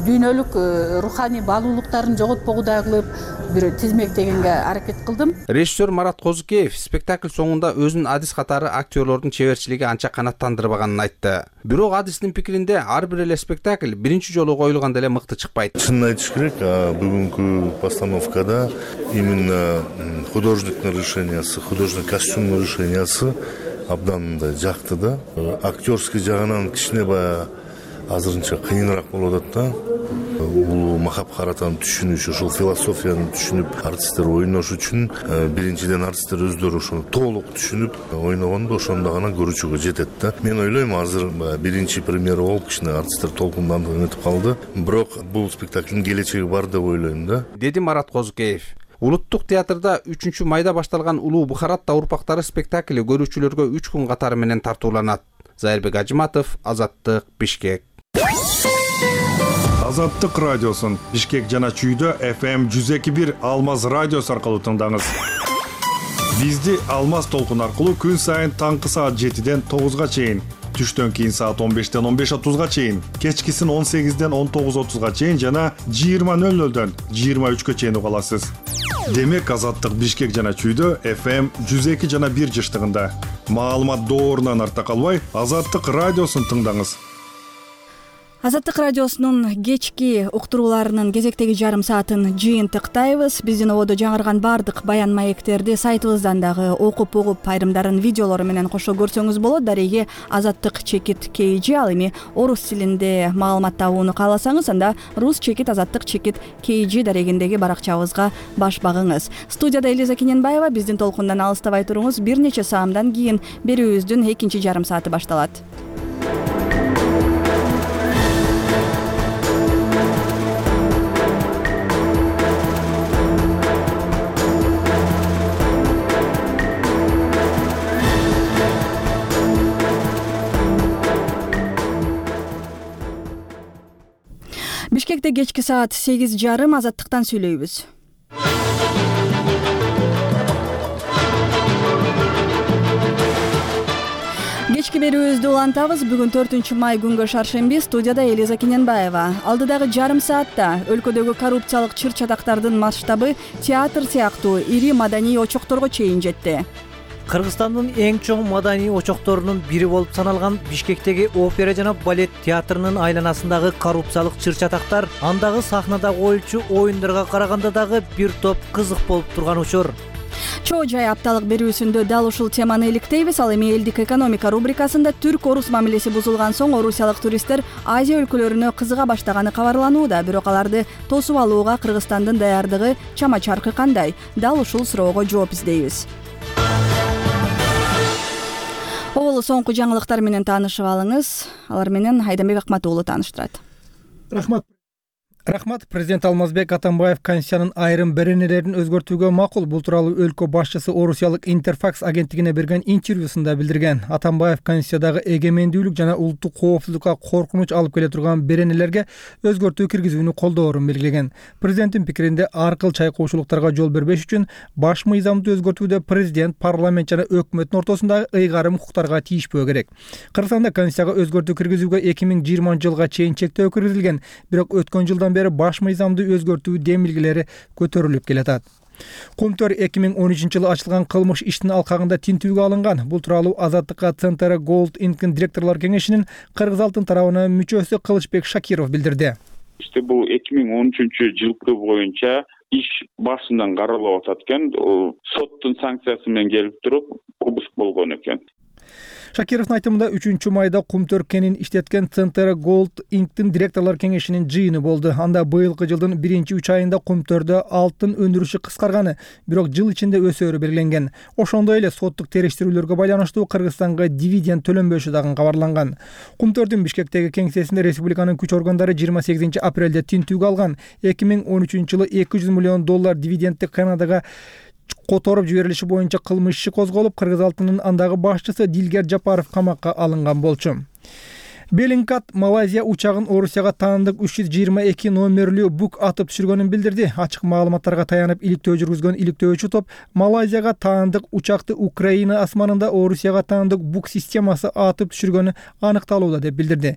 дүйнөлүк руханий баалуулуктарын жоготпогудай кылып бир тизмектегенге аракет кылдым. Режиссер Марат Козукеев спектакль соңунда өзүнүн адис катары актерлордун чеберчилиги анча канаттандырбаганын айтты. Бирок адистин пикиринде ар бир эле спектакль биринчи жолу коюлганда эле мыкты чыкпайт. Чынын айтыш керек, бүгүнкү постановкада именно художниктин решениясы, художник костюмдун решениясы абдан мындай жакты да. Актерский жагынан кичине баягы азырынча кыйыныраак болуп атат да. Бул Махабхаратаны түшүнүш, ошол философияны түшүнүп, артисттер ойнош үчүн биринчиден артисттер өздөрү ошону толук түшүнүп ойногондо ошондо гана көрүүчүгө жетет да. Мен ойлойм, азыр биринчи премьера болуп кичине артисттер толкундандырып өтүп калды. Бирок бул спектаклдин келечеги бар деп ойлойм да. Деди Марат Козукеев. Улуттук театрда 3 майда башталган Улуу Бхарата урпактары спектакли көрүүчүлөргө 3 күн катары менен тартууланат. Зайырбек Ажыматов, Азаттык, Бишкек. Азаттык радиосун Бишкек жана Чүйдө FM 102.1 Алмаз радиосу аркылуу тыңдаңыз. Бизди Алмаз толкун аркылуу күн сайын таңкы саат 7ден 9га чейин, түштөн кийин саат 15ден 15:30га чейин, кечкисин 18ден 19:30га чейин жана 20:00дөн 23гө чейин уга аласыз. Демек Азаттык Бишкек жана Чүйдө FM 102 жана 1 жыштыгында. Маалымат доорунан артта калбай, Азаттык радиосун тыңдаңыз. Азаттык радиосунун кечки уктурууларынын кезектеги жарым саатын жыйынтыктайбыз. Биздин ободо жаңырган баардык баян маектерди сайтыбыздан дагы окуп угуп, айрымдарын видеолору менен кошо көрсөңүз болот. Дареги азаттык чекит KG, ал эми орус тилинде маалымат табууну кааласаңыз, анда рус чекит азаттык чекит KG дарегиндеги баракчабызга баш багыңыз. Студияда Элиза Кененбаева. Биздин толкундан алыстабай туруңуз. Бир нече саамдан кийин берүүбүздүн экинчи жарым сааты башталат. Бишкекте кечки саат 8:30 азаттыктан сүйлөйбүз. Кечки берүүбүздү улантабыз. Бүгүн 4 май күнгө шаршемби. Студияда Элиза Кененбаева. Алдыдагы жарым саатта өлкөдөгү коррупциялык чыр-чатактардын масштабы театр сыяктуу ири маданий очокторго чейин жетти. Кыргызстандын эң чоң маданий очокторунун бири болуп саналган Бишкектеги опера жана балет театрынын айланасындагы коррупциялык чыр-чатактар андагы сахнада коюлчу оюндарга караганда дагы бир топ кызык болуп турган учур. Чоо жай апталык берүүсүндө дал ушул теманы иликтейбиз. Ал эми элдик экономика рубрикасында түрк-орус мамилеси бузулган соң орусиялык туристтер Азия өлкөлөрүнө кызыга баштаганы кабарланууда. Бирок аларды тосуп алууга Кыргызстандын даярдыгы чама-чаркы кандай? Дал ушул суроого жооп издейбиз. Оболу соңку жаңылыктар менен таанышып алыңыз. Алар менен Айданбек Акматуулу тааныштырат. Рахмат. Президент Алмазбек Атамбаев Конституциянын айрым беренелерин өзгөртүүгө макул. Бул тууралуу өлкө башчысы орусиялык Интерфакс агенттигине берген интервьюсунда билдирген. Атамбаев Конституциядагы эгемендүүлүк жана улуттук коопсуздукка коркунуч алып келе турган беренелерге өзгөртүү киргизүүнү колдоорун белгилеген. Президенттин пикиринде ар кыл чайкоочулуктарга жол бербеш үчүн баш мыйзамды өзгөртүүдө президент, парламент жана өкмөттүн ортосундагы ыйгарым укуктарга тийишпөө керек. Кыргызстанда Конституцияга өзгөртүү киргизүүгө 2020 жылга чейин чектөө киргизилген. Бирок өткөн жылдан бери баш мыйзамды өзгөртүү демилгелери көтөрүлүп келатат. Кумтөр 2013 жылы ачылган кылмыш иштин алкагында тинтүүгө алынган. Бул тууралуу Азаттыкка Центр Gold Inc директорлор кеңешинин Кыргыз алтын тарабынын мүчөсү Кылычбек Шакиров билдирди. Бул 2013 жылкы боюнча иш башынан каралып атат экен. Соттун санкциясы менен келип туруп обыск болгон экен. Шакировдун айтымында 3 майда Кумтөр кенин иштеткен Центр Gold Inc директорлор кеңешинин жыйыны болду. Анда быйылкы жылдын 1-3 айында Кумтөрдө алтын өндүрүшү кыскарганы, бирок жыл ичинде өсөөрү белгиленген. Ошондой эле соттук териштирүүлөргө байланыштуу Кыргызстанга дивиденд төлөнбөшү дагы кабарланган. Кумтөрдүн Бишкектеги кеңсесинде республиканын күч органдары 28 апрелде тинтүүгө алган. 2013 жылы $200 миллион дивидендти Канадага которуп жиберилиши боюнча кылмыш иши козголуп, Кыргыз алтынынын андагы башчысы Дилгер Жапаров камакка алынган болчу. Беллингкат Малайзия учагын Орусияга таандык 322 номерлүү бук атып түшүргөнүн билдирди. Ачык маалыматтарга таянып иликтөө жүргүзгөн иликтөөчү топ Малайзияга таандык учакты Украина асманында Орусияга таандык бук системасы атып түшүргөнү аныкталууда деп билдирди.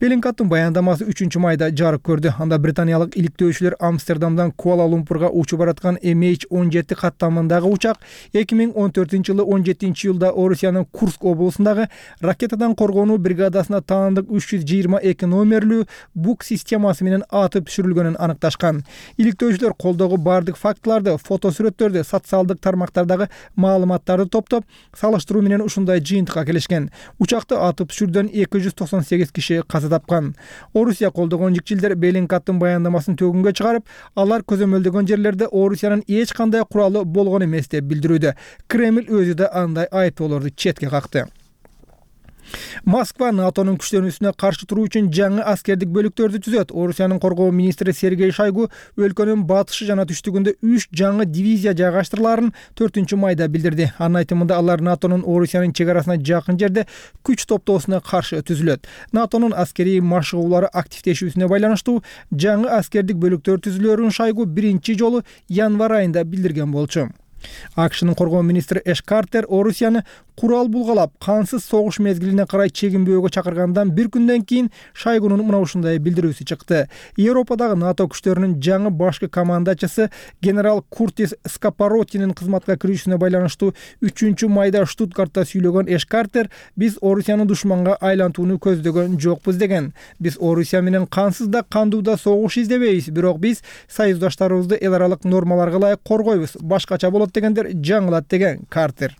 Беллингкаттын баяндамасы 3 майда жарык көрдү. Анда британиялык иликтөөчүлөр Амстердамдан Куала-Лумпурга учуп бараткан MH17 каттамындагы учак 2014 жылы 17 июлда Орусиянын Курск облусундагы ракетадан коргонуу бригадасына 322 номерлүү бук системасы менен атып түшүрүлгөнүн аныкташкан. Иликтөөчүлөр колдогу бардык фактыларды, фотосүрөттөрдү, социалдык тармактардагы маалыматтарды топтоп, салыштыруу менен ушундай жыйынтыкка келишкен. Учакты атып түшүрүүдөн 298 киши каза тапкан. Орусия колдогон жикчилдер Беллингкаттын баяндамасын төгүнгө чыгарып, алар көзөмөлдөгөн жерлерде Орусиянын эч кандай куралы болгон эмес деп билдирүүдө. Кремль өзү да андай айыптоолорду четке какты. Москва НАТОнун күчтөнүүсүнө каршы туруу үчүн жаңы аскердик бөлүктөрдү түзөт. Орусиянын коргоо министри Сергей Шойгу өлкөнүн батышы жана түштүгүндө 3 жаңы дивизия жайгаштырылаарын 4 майда билдирди. Анын айтымында алар НАТОнун Орусиянын чек арасына жакын жерде күч топтоосуна каршы түзүлөт. НАТОнун аскерий машыгуулары активдешүүсүнө байланыштуу жаңы аскердик бөлүктөр түзүлөөрүн Шойгу биринчи жолу январь айында билдирген болчу. АКШнын коргоо министри Эш Картер Орусияны курал булгалап, кансыз согуш мезгилине карай чегинбөөгө чакыргандан бир күндөн кийин Шойгунун мына ушундай билдирүүсү чыкты. Европадагы НАТО күчтөрүнүн жаңы башкы командачысы генерал Куртис Скапаротинин кызматка кирүүсүнө байланыштуу 3-майда Штутгартта сүйлөгөн Эш Картер: "Биз Орусияны душманга айлантууну көздөгөн жокпуз" деген. "Биз Орусия менен кансыз да кандуу да согуш издебейбиз, бирок биз союздаштарыбызды эл аралык нормаларга ылайык коргойбуз. Башкача болот" дегендер жаңылат деген Картер.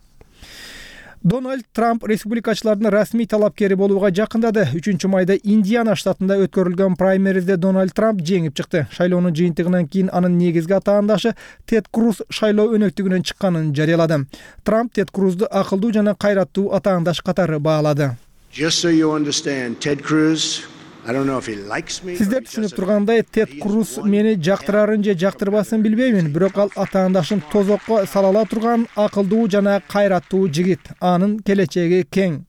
Дональд Трамп республикачылардын расмий талапкери болууга жакындады. 3-майда Индиана штатында өткөрүлгөн праймеризде Дональд Трамп жеңип чыкты. Шайлоонун жыйынтыгынан кийин анын негизги атаандашы Тед Круз шайлоо өнөктүгүнөн чыкканын жарыялады. Трамп Тед Крузду акылдуу жана кайраттуу атаандаш катары баалады. Сиздер түшүнүп тургандай, Тед Круз мени жактырарын же жактырбасын билбеймин, бирок ал атаандашын тозокко сала ала турган акылдуу жана кайраттуу жигит. Анын келечеги кең.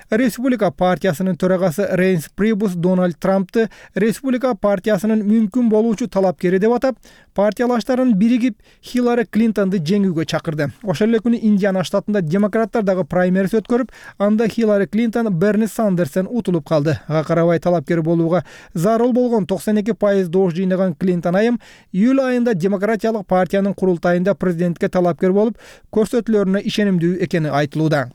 Республика партиясынын төрагасы Рейнс Прибус Дональд Трампты Республика партиясынын мүмкүн болуучу талапкери деп атап, партиялаштарын биригип Хиллари Клинтонду жеңүүгө чакырды. Ошол эле күнү Индиана штатында демократтар дагы праймериз өткөрүп, анда Хиллари Клинтон Берни Сандерстен утулуп калды. Ага карабай талапкер болууга зарыл болгон 92% доош жыйнаган Клинтон айым июль айында демократиялык партиянын курултайында президентке талапкер болуп, көрсөтүүлөрүнө ишенимдүү экени айтылууда.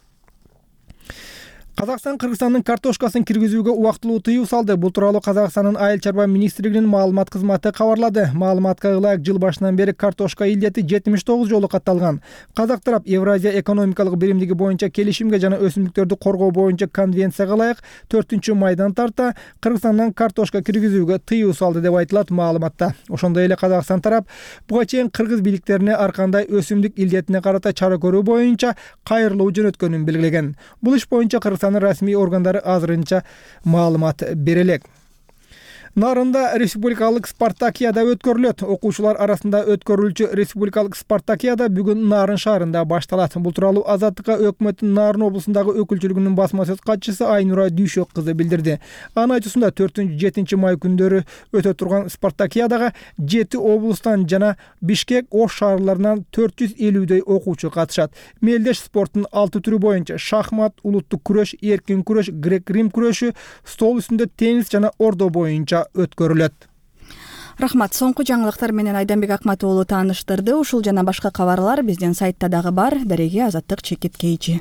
Казакстан Кыргызстандын картошкасын киргизүүгө убактылуу тыюу салды. Бул тууралуу Казакстандын айыл чарба министрлигинин маалымат кызматы кабарлады. Маалыматка ылайык жыл башынан бери картошка илдети 79 жолу катталган. Казак тарап Евразия экономикалык биримдиги боюнча келишимге жана өсүмдүктөрдү коргоо боюнча конвенцияга ылайык 4-майдан тарта Кыргызстандан картошка киргизүүгө тыюу салды деп айтылат маалыматта. Ошондой эле Казакстан тарап буга чейин кыргыз бийликтерине ар кандай өсүмдүк илдетине карата чара көрүү боюнча кайрылуу жөнөткөнүн белгилеген. Бул иш боюнча расмий органдары азырынча маалымат бере элек. Нарында республикалык спартакиада өткөрүлөт. Окуучулар арасында өткөрүлчү республикалык спартакиада бүгүн Нарын шаарында башталат. Бул тууралуу Азаттыкка өкмөттүн Нарын облусундагы өкүлчүлүгүнүн басма сөз катчысы Айнура Дүйшөк кызы билдирди. Анын айтуусунда 4-7 май күндөрү өтө турган спартакиадага 7 облустан жана Бишкек, Ош шаарларынан 450дөй окуучу катышат. Мелдеш спорттун 6 түрү боюнча шахмат, улуттук күрөш, эркин күрөш, грек-рим күрөшү, стол үстүндө теннис жана ордо боюнча өткөрүлөт. Рахмат. Соңку жаңылыктар менен Айданбек Акматов уулу тааныштырды. Ушул жана башка кабарлар биздин сайтта дагы бар. Дареги Азаттык чекит кейжи.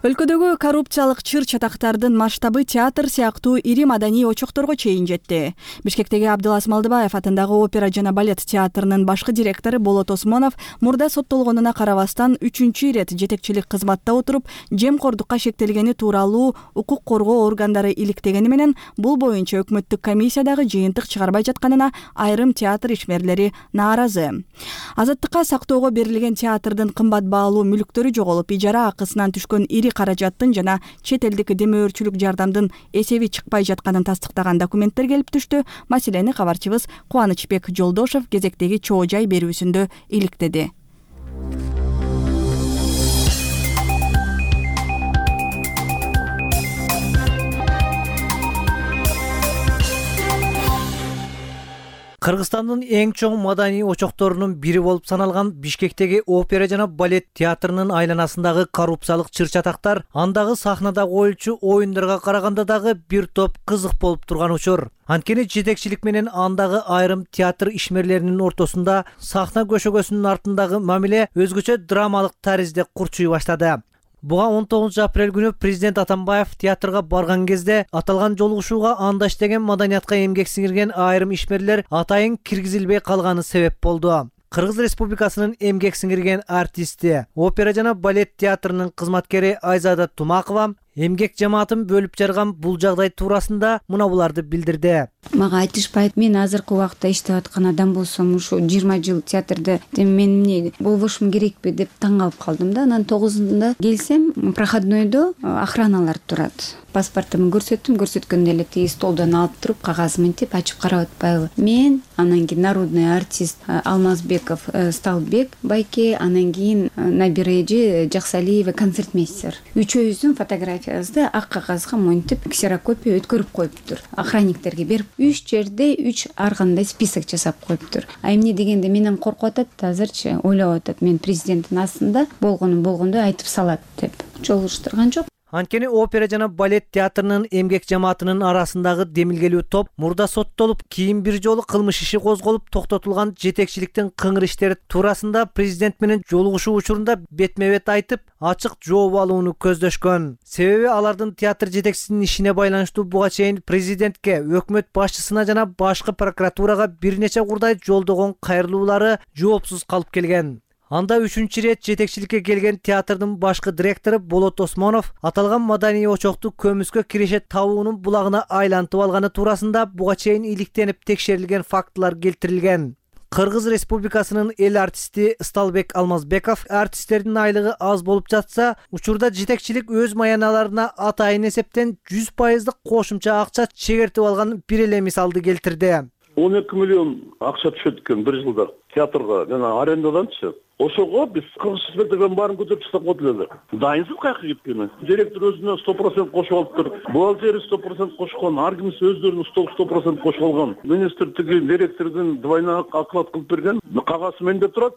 Өлкөдөгү коррупциялык чыр-чатактардын масштабы театр сыяктуу ири маданий очокторго чейин жетти. Бишкектеги Абдылас Малдыбаев атындагы опера жана балет театрынын башкы директору Болот Осмонов мурда соттолгонуна карабастан 3-чү ирет жетекчилик кызматта отуруп, жемкордукка шектелгени тууралуу укук коргоо органдары иликтегени менен бул боюнча өкмөттүк комиссиядагы жыйынтык чыгарбай жатканына айрым театр ишмерлери нааразы. Азаттыкка сактоого берилген театрдын кымбат баалуу мүлктөрү жоголуп, ижара акысынан түшкөн ири каражаттын жана чет элдик демөөрчүлүк жардамдын эсеби чыкпай жатканын тастыктаган документтер келип түштү. Маселени кабарчыбыз Кубанычбек Жолдошов кезектеги чоо жай берүүсүндө иликтеди. Кыргызстандын эң чоң маданий очокторунун бири болуп саналган Бишкектеги опера жана балет театрынын айланасындагы коррупциялык чыр-чатактар андагы сахнада коюлчу оюндарга караганда дагы бир топ кызык болуп турган учур. Анткени жетекчилик менен андагы айрым театр ишмерлеринин ортосунда сахна көшөгөсүнүн артындагы мамиле өзгөчө драмалык таризде курчуй баштады. Буга 19 апрель күнү президент Атамбаев театрга барган кезде аталган жолугушууга андаш деген маданиятка эмгек сиңирген айрым ишмерлер атайын киргизилбей калганы себеп болду. Кыргыз Республикасынын эмгек сиңирген артисти, опера жана балет театрынын кызматкери Айзада Тумакова эмгек жамаатын бөлүп жарган бул жагдай туурасында мына буларды билдирди. Мага айтышпайт, мен азыркы убакта иштеп аткан адам болсом, ушу 20 жыл театрда мен эмне болбошум керекпи деп таң калып калдым да. Анан 9-ында келсем, проходнойдо охраналар турат. Паспортумду көрсөттүм, көрсөткөндө эле тиги столдон алып туруп, кагаз мынтип ачып карап атпайбы. Мен анан кийин народный артист Алмазбеков Сталбек байке, анан кийин набережи Жаксалиева концертмейстер. Үчөөбүздүн фотографиябызды ак кагазга монтип ксерокопия өткөрүп коюптур. Охранниктерге берип, 3 жерде 3 ар кандай список жасап коюптур. А эмне дегенде менен коркуп атат, азырчы ойлоп атат, мен президенттин астында болгондой айтып салат деп. Жолугуштурган жок. Анткени опера жана балет театрынын эмгек жамаатынын арасындагы демилгелүү топ мурда соттолуп, кийин бир жолу кылмыш иши козголуп токтотулган жетекчиликтин кыңыр иштери туурасында президент менен жолугушуу учурунда бетме-бет айтып, ачык жооп алууну көздөшкөн. Себеби алардын театр жетекчисинин ишине байланыштуу буга чейин президентке, өкмөт башчысына жана башкы прокуратурага бир нече курдай жолдогон кайрылуулары жоопсуз калып келген. Анда 3-чү рет жетекчиликке келген театрдын башкы директору Болот Осмонов аталган маданий очокту көмүскө киреше табуунун булагына айлантып алганы туурасында буга чейин иликтенип текшерилген фактылар келтирилген. Кыргыз Республикасынын эл артисти Сталбек Алмазбеков артисттердин айлыгы аз болуп жатса, учурда жетекчилик өз маяналарына атайын эсептен 100% кошумча акча чегертип алган бир эле мисалды келтирди. 12 миллион акча түшөт экен бир жылда театрга жана арендаданчы. Ошого биз кыргыз сметадан баарын көтөрүп тастап койдук эле. Дайынсыз каяка кеткени. Директор өзүнө 100% кошуп алыптыр. Бухгалтери 100% кошкон, ар кимиси өздөрүнүн 100% кошуп алган. Министр тиги директордун двойной оклад кылып берген. Кагаз менде турат.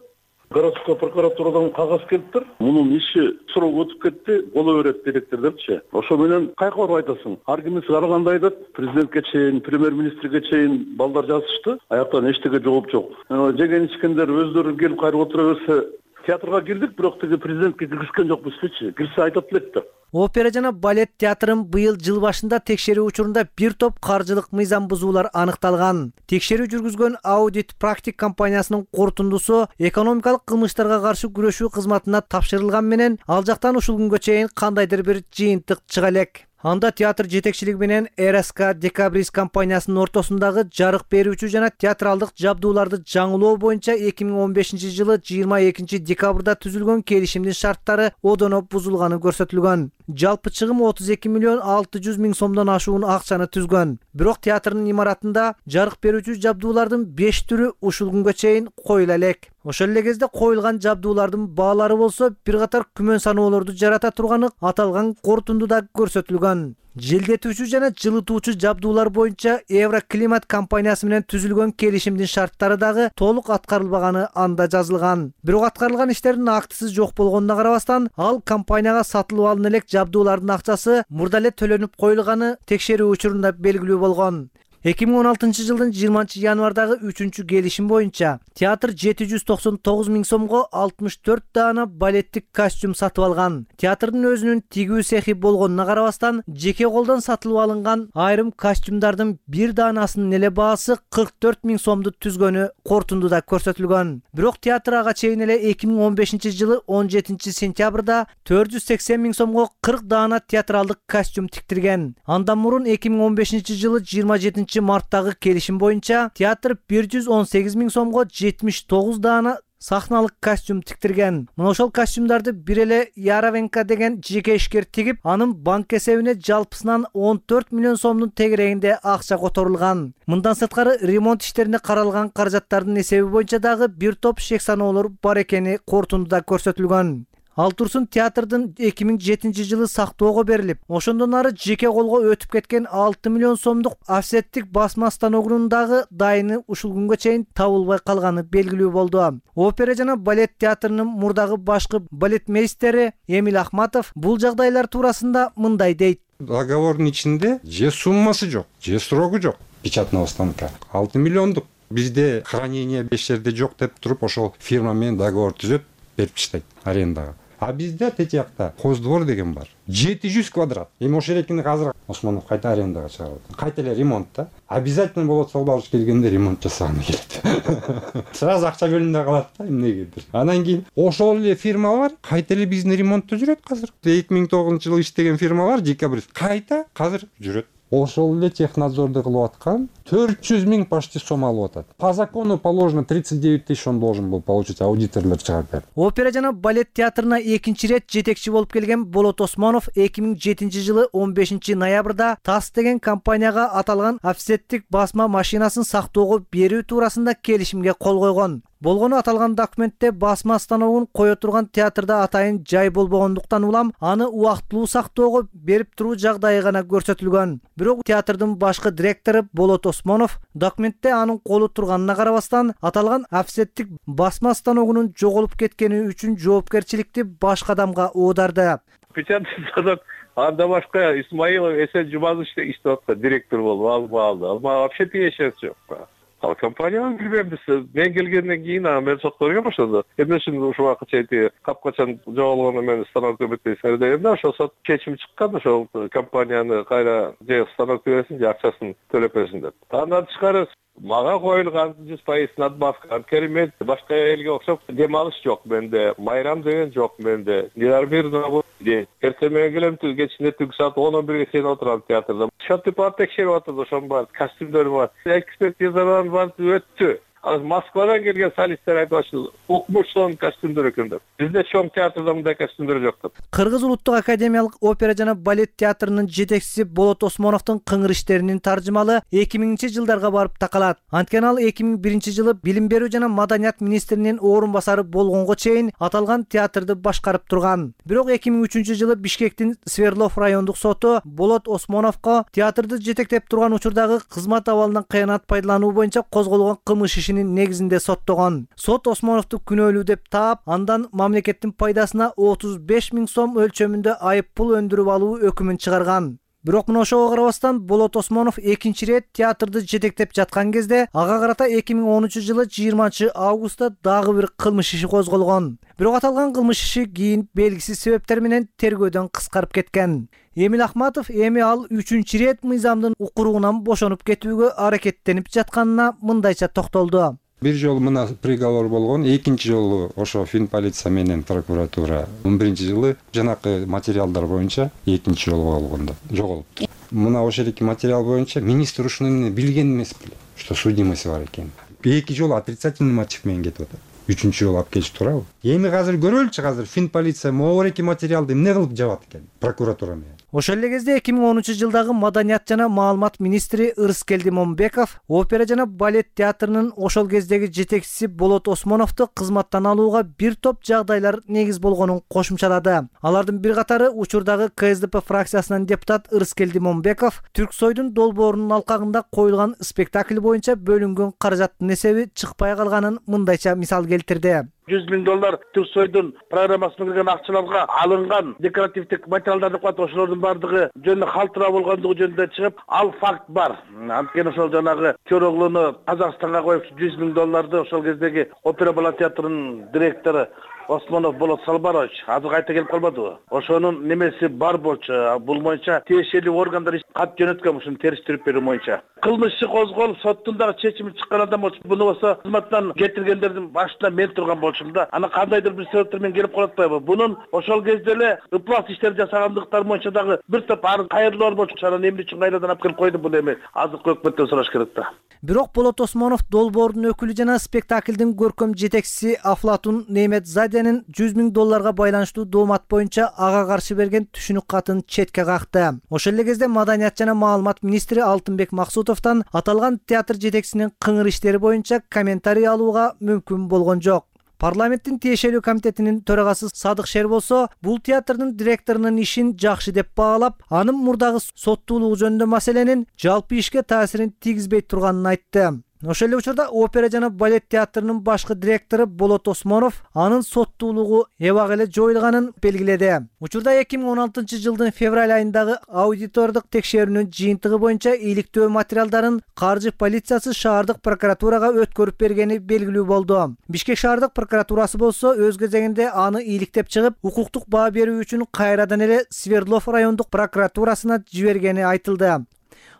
Городской прокуратурадан кагаз келиптир. Мунун иши срок өтүп кетти, боло берет директор депчи. Ошо менен кайка барып айтасың? Ар кимиси ар кандай айтат. Президентке чейин, премьер-министрге чейин балдар жазышты. Аяктан эчтеге жооп жок. Жеген ичкендер өздөрү келип кайрып отура берсе, театрга кирдик, бирок тиги президентке киргизген жокпузчу. Кирсе айтат элек да. Опера жана балет театрын быйыл жыл башында текшерүү учурунда бир топ каржылык мыйзам бузуулар аныкталган. Текшерүү жүргүзгөн Audit Practic компаниясынын корутундусу экономикалык кылмыштарга каршы күрөшүү кызматына тапшырылган менен ал жактан ушул күнгө чейин кандайдыр бир жыйынтык чыга элек. Анда театр жетекчилиги менен РСК Декабрист компаниясынын ортосундагы жарык берүүчү жана театралдык жабдууларды жаңылоо боюнча 2015-жылы 22 декабрда түзүлгөн келишимдин шарттары одоно бузулганы көрсөтүлгөн. Жалпы чыгым 32 миллион 600 миң сомдон ашуун акчаны түзгөн. Бирок театрдын имаратында жарык берүүчү жабдуулардын 5 түрү ушул күнгө чейин коюла элек. Ошол эле кезде коюлган жабдуулардын баалары болсо бир катар күмөн саноолорду жарата турганы аталган корутундуда көрсөтүлгөн. Желдетүүчү жана жылытуучу жабдуулар боюнча Евроклимат компаниясы менен түзүлгөн келишимдин шарттары дагы толук аткарылбаганы анда жазылган. Бирок аткарылган иштердин актысы жок болгонуна карабастан, ал компанияга сатылып алына элек жабдуулардын акчасы мурда эле төлөнүп коюлганы текшерүү учурунда белгилүү болгон. 2016-жылдын 20 январдагы 3-чү келишим боюнча театр 799 миң сомго 64 даана балеттик костюм сатып алган. Театрдын өзүнүн тигүү цехи болгонуна карабастан, жеке колдон сатылып алынган айрым костюмдардын бир даанасынын эле баасы 44 миң сомду түзгөнү корутундуда көрсөтүлгөн. Бирок театр ага чейин эле 2015-жылы 17 сентябрда 480 миң сомго 40 даана театралдык костюм тиктирген. Андан мурун 2015-жылы 27 марттагы келишим боюнча театр 118 миң сомго 79 даана сахналык костюм тиктирген. Мына ошол костюмдарды бир эле Яровенко деген жеке ишкер тигип, анын банк эсебине жалпысынан 14 миллион сомдун тегерегинде акча которулган. Мындан сырткары ремонт иштерине каралган каражаттардын эсеби боюнча дагы бир топ шек саноолор бар экени корутундуда көрсөтүлгөн. Ал турсун театрдын 2007-жылы сактоого берилип, ошондон ары жеке колго өтүп кеткен 6 миллион сомдук офсеттик басма станогунун дагы дайыны ушул күнгө чейин табылбай калганы белгилүү болду. Опера жана балет театрынын мурдагы башкы балетмейстери Эмиль Ахматов бул жагдайлар туурасында мындай дейт. Договордун ичинде же суммасы жок, же срогу жок. Печатного станка 6 миллиондук. Бизде хранение 5 жерде жок деп туруп, ошол фирма менен договор түзөп берип таштайт арендага. А бизде тети жакта Хоздвор деген бар. 700 квадрат. Эми ошол эркинди азыр Осмонов кайта арендага чыгарып. Кайта эле ремонт да. Обязательно болот Салбалыш келгенде ремонт жасаганы келет. Сразу акча бөлүнбөй калат да эмнегедир. Анан кийин ошол эле фирмалар кайта эле биздин ремонтто жүрөт азыр. 2009-жылы иштеген фирмалар Декабрист кайта азыр жүрөт. ошол эле технадзорду кылып аткан 400 000 почти сом алып атат. По закону положено 39 000 он должен был получить, аудиторлор чыгарды. Опера жана балет театрына экинчи ирет жетекчи болуп келген Болот Осмонов 2007-жылы 15 ноябрда ТАСС деген компанияга аталган офсеттик басма машинасын сактоого берүү туурасында келишимге кол койгон. Болгону аталган документте басма станогун кое турган театрда атайын жай болбогондуктан улам аны убактылуу сактоого берип туруу жагдайы гана көрсөтүлгөн. Бирок театрдын башкы директору Болот Осмонов документте анын колу турганына карабастан аталган офсеттик басма станогунун жоголуп кеткени үчүн жоопкерчиликти башка адамга оодарды. Печатный станок анда башка Исмаилов Эсен Жумазович иштеп аткан директор болуп алды. Ал вообще тиешеси жок. Ал компанияны билбейм биз. Мен келгенден кийин мен сотторго баштады. Эмне үчүн ушул убакка чейин капкачан жоголгону мен станок өбөтөй сердейм да, ошол сот чечим чыккан, ошол компанияны кайра же станок бересин, же акчасын төлөп берсин деп. Андан тышкары мага коюлган 100% надбавка, керемет, башка элге окшоп дем алыш жок менде, майрам деген жок менде. Нервированный де. Эртең менен келем, кечинде түнкү саат 10-11ге чейин отурам театрда. Шатты бар текшерип атат, ошон бар, костюмдөр бар. Экспертизадан бар өттү. Ал Москвадан келген солисттер айтып атышты, укмуштон костюмдөр экен деп. Бизде чоң театрда мындай костюмдөр жок деп. Кыргыз улуттук академиялык опера жана балет театрынын жетекчиси Болот Осмоновдун кыңыр иштеринин таржымалы 2000-жылдарга барып такалат. Анткени ал 2001-жылы билим берүү жана маданият министринин орун басары болгонго чейин аталган театрды башкарып турган. Бирок 2003-жылы Бишкектин Свердлов райондук соту Болот Осмоновго театрды жетектеп турган учурдагы кызмат абалынан кыянат пайдалануу боюнча козголгон кылмыш негизинде соттогон. Сот Осмоновду күнөөлүү деп таап, андан мамлекеттин пайдасына 35 000 сом өлчөмүндө айып пул өндүрүп алуу өкүмүн чыгарган. Бирок мына ошого карабастан Болот Осмонов экинчи ирет театрды жетектеп жаткан кезде ага карата 2013-жылы 20-августта дагы бир кылмыш иши козголгон. Бирок аталган кылмыш иши кийин белгисиз себептер менен тергөөдөн кыскарып кеткен. Эмил Ахматов эми ал 3-чү ирет мыйзамдын укуругунан бошонуп кетүүгө аракеттенип жатканына мындайча токтолду. Бир жолу мына приговор болгон, экинчи жолу ошо финполиция менен прокуратура 11-жылы жанакы материалдар боюнча экинчи жолу болгондо жоголупту. Мына ошол эки материал боюнча министр ушуну билген эмес беле, что судимость бар экен. Эки жолу отрицательный мотив менен кетип атат. 3-чү жолу алып келип турабы? Эми азыр көрөлүчү, азыр финполиция могу эки материалды эмне кылып жабат экен прокуратура менен. Ошол эле кезде 2013-жылдагы маданият жана маалымат министри Ырыскелди Момбеков опера жана балет театрынын ошол кездеги жетекчиси Болот Осмоновду кызматтан алууга бир топ жагдайлар негиз болгонун кошумчалады. Алардын бир катары учурдагы КСДП фракциясынын депутат Ырыскелди Момбеков Түрксойдун долбоорунун алкагында коюлган спектакль боюнча бөлүнгөн каражаттын эсеби чыкпай калганын мындайча мисал келтирди. $100 000 Түрксойдун программасына кирген акчаларга алынган декоративдик материалдарды коюп, ошолордун бардыгы жөнүндө калтыраа болгондугу жөнүндө чыгып, ал факт бар. Анткени ошол жанагы Көроглуну Казакстанга коюп $100 000 ошол кездеги опера балет театрынын директору Осмонов Болот Салбарович азыр кайта келип калбадыбы? Ошонун немеси бар болчу. Бул боюнча тиешелүү органдар кат жөнөткөн, ушуну териштирип берүү боюнча. Кылмыш иши козголуп, соттун дагы чечими чыккан адам болчу. Буну болсо кызматтан кетиргендердин башында мен турган болчумун да. Аны кандайдыр бир себептер менен келип калып атпайбы? Бунун ошол кезде эле ыплас иштер жасагандыктар боюнча дагы бир топ кайрылуулар болчу. Анан эмне үчүн кайрадан алып келип койду буну эми азыркы өкмөттөн сураш керек да. Бирок Болот Осмонов долбоордун өкүлү жана спектаклдин көркөм жетекчиси Афлатун Неметзаденин $100 000 байланыштуу доомат боюнча ага каршы берген түшүнүк катын четке какты. Ошол эле кезде маданият жана маалымат министри Алтынбек Максутовдон аталган театр жетекчисинин кыңыр иштери боюнча комментарий алууга мүмкүн болгон жок. Парламенттин тиешелүү комитетинин төрагасы Садык Шер болсо, бул театрдын директорунун ишин жакшы деп баалап, анын мурдагы соттуулугу жөнүндө маселенин жалпы ишке таасирин тийгизбей турганын айтты. Ошол эле учурда опера жана балет театрынын башкы директору Болот Осмонов анын соттуулугу эбак эле жоюлганын белгиледи. Учурда 2016-жылдын февраль айындагы аудитордук текшерүүнүн жыйынтыгы боюнча иликтөө материалдарын каржы полициясы шаардык прокуратурага өткөрүп бергени белгилүү болду. Бишкек шаардык прокуратурасы болсо өз кезегинде аны иликтеп чыгып, укуктук баа берүү үчүн кайрадан эле Свердлов райондук прокуратурасына жибергени айтылды.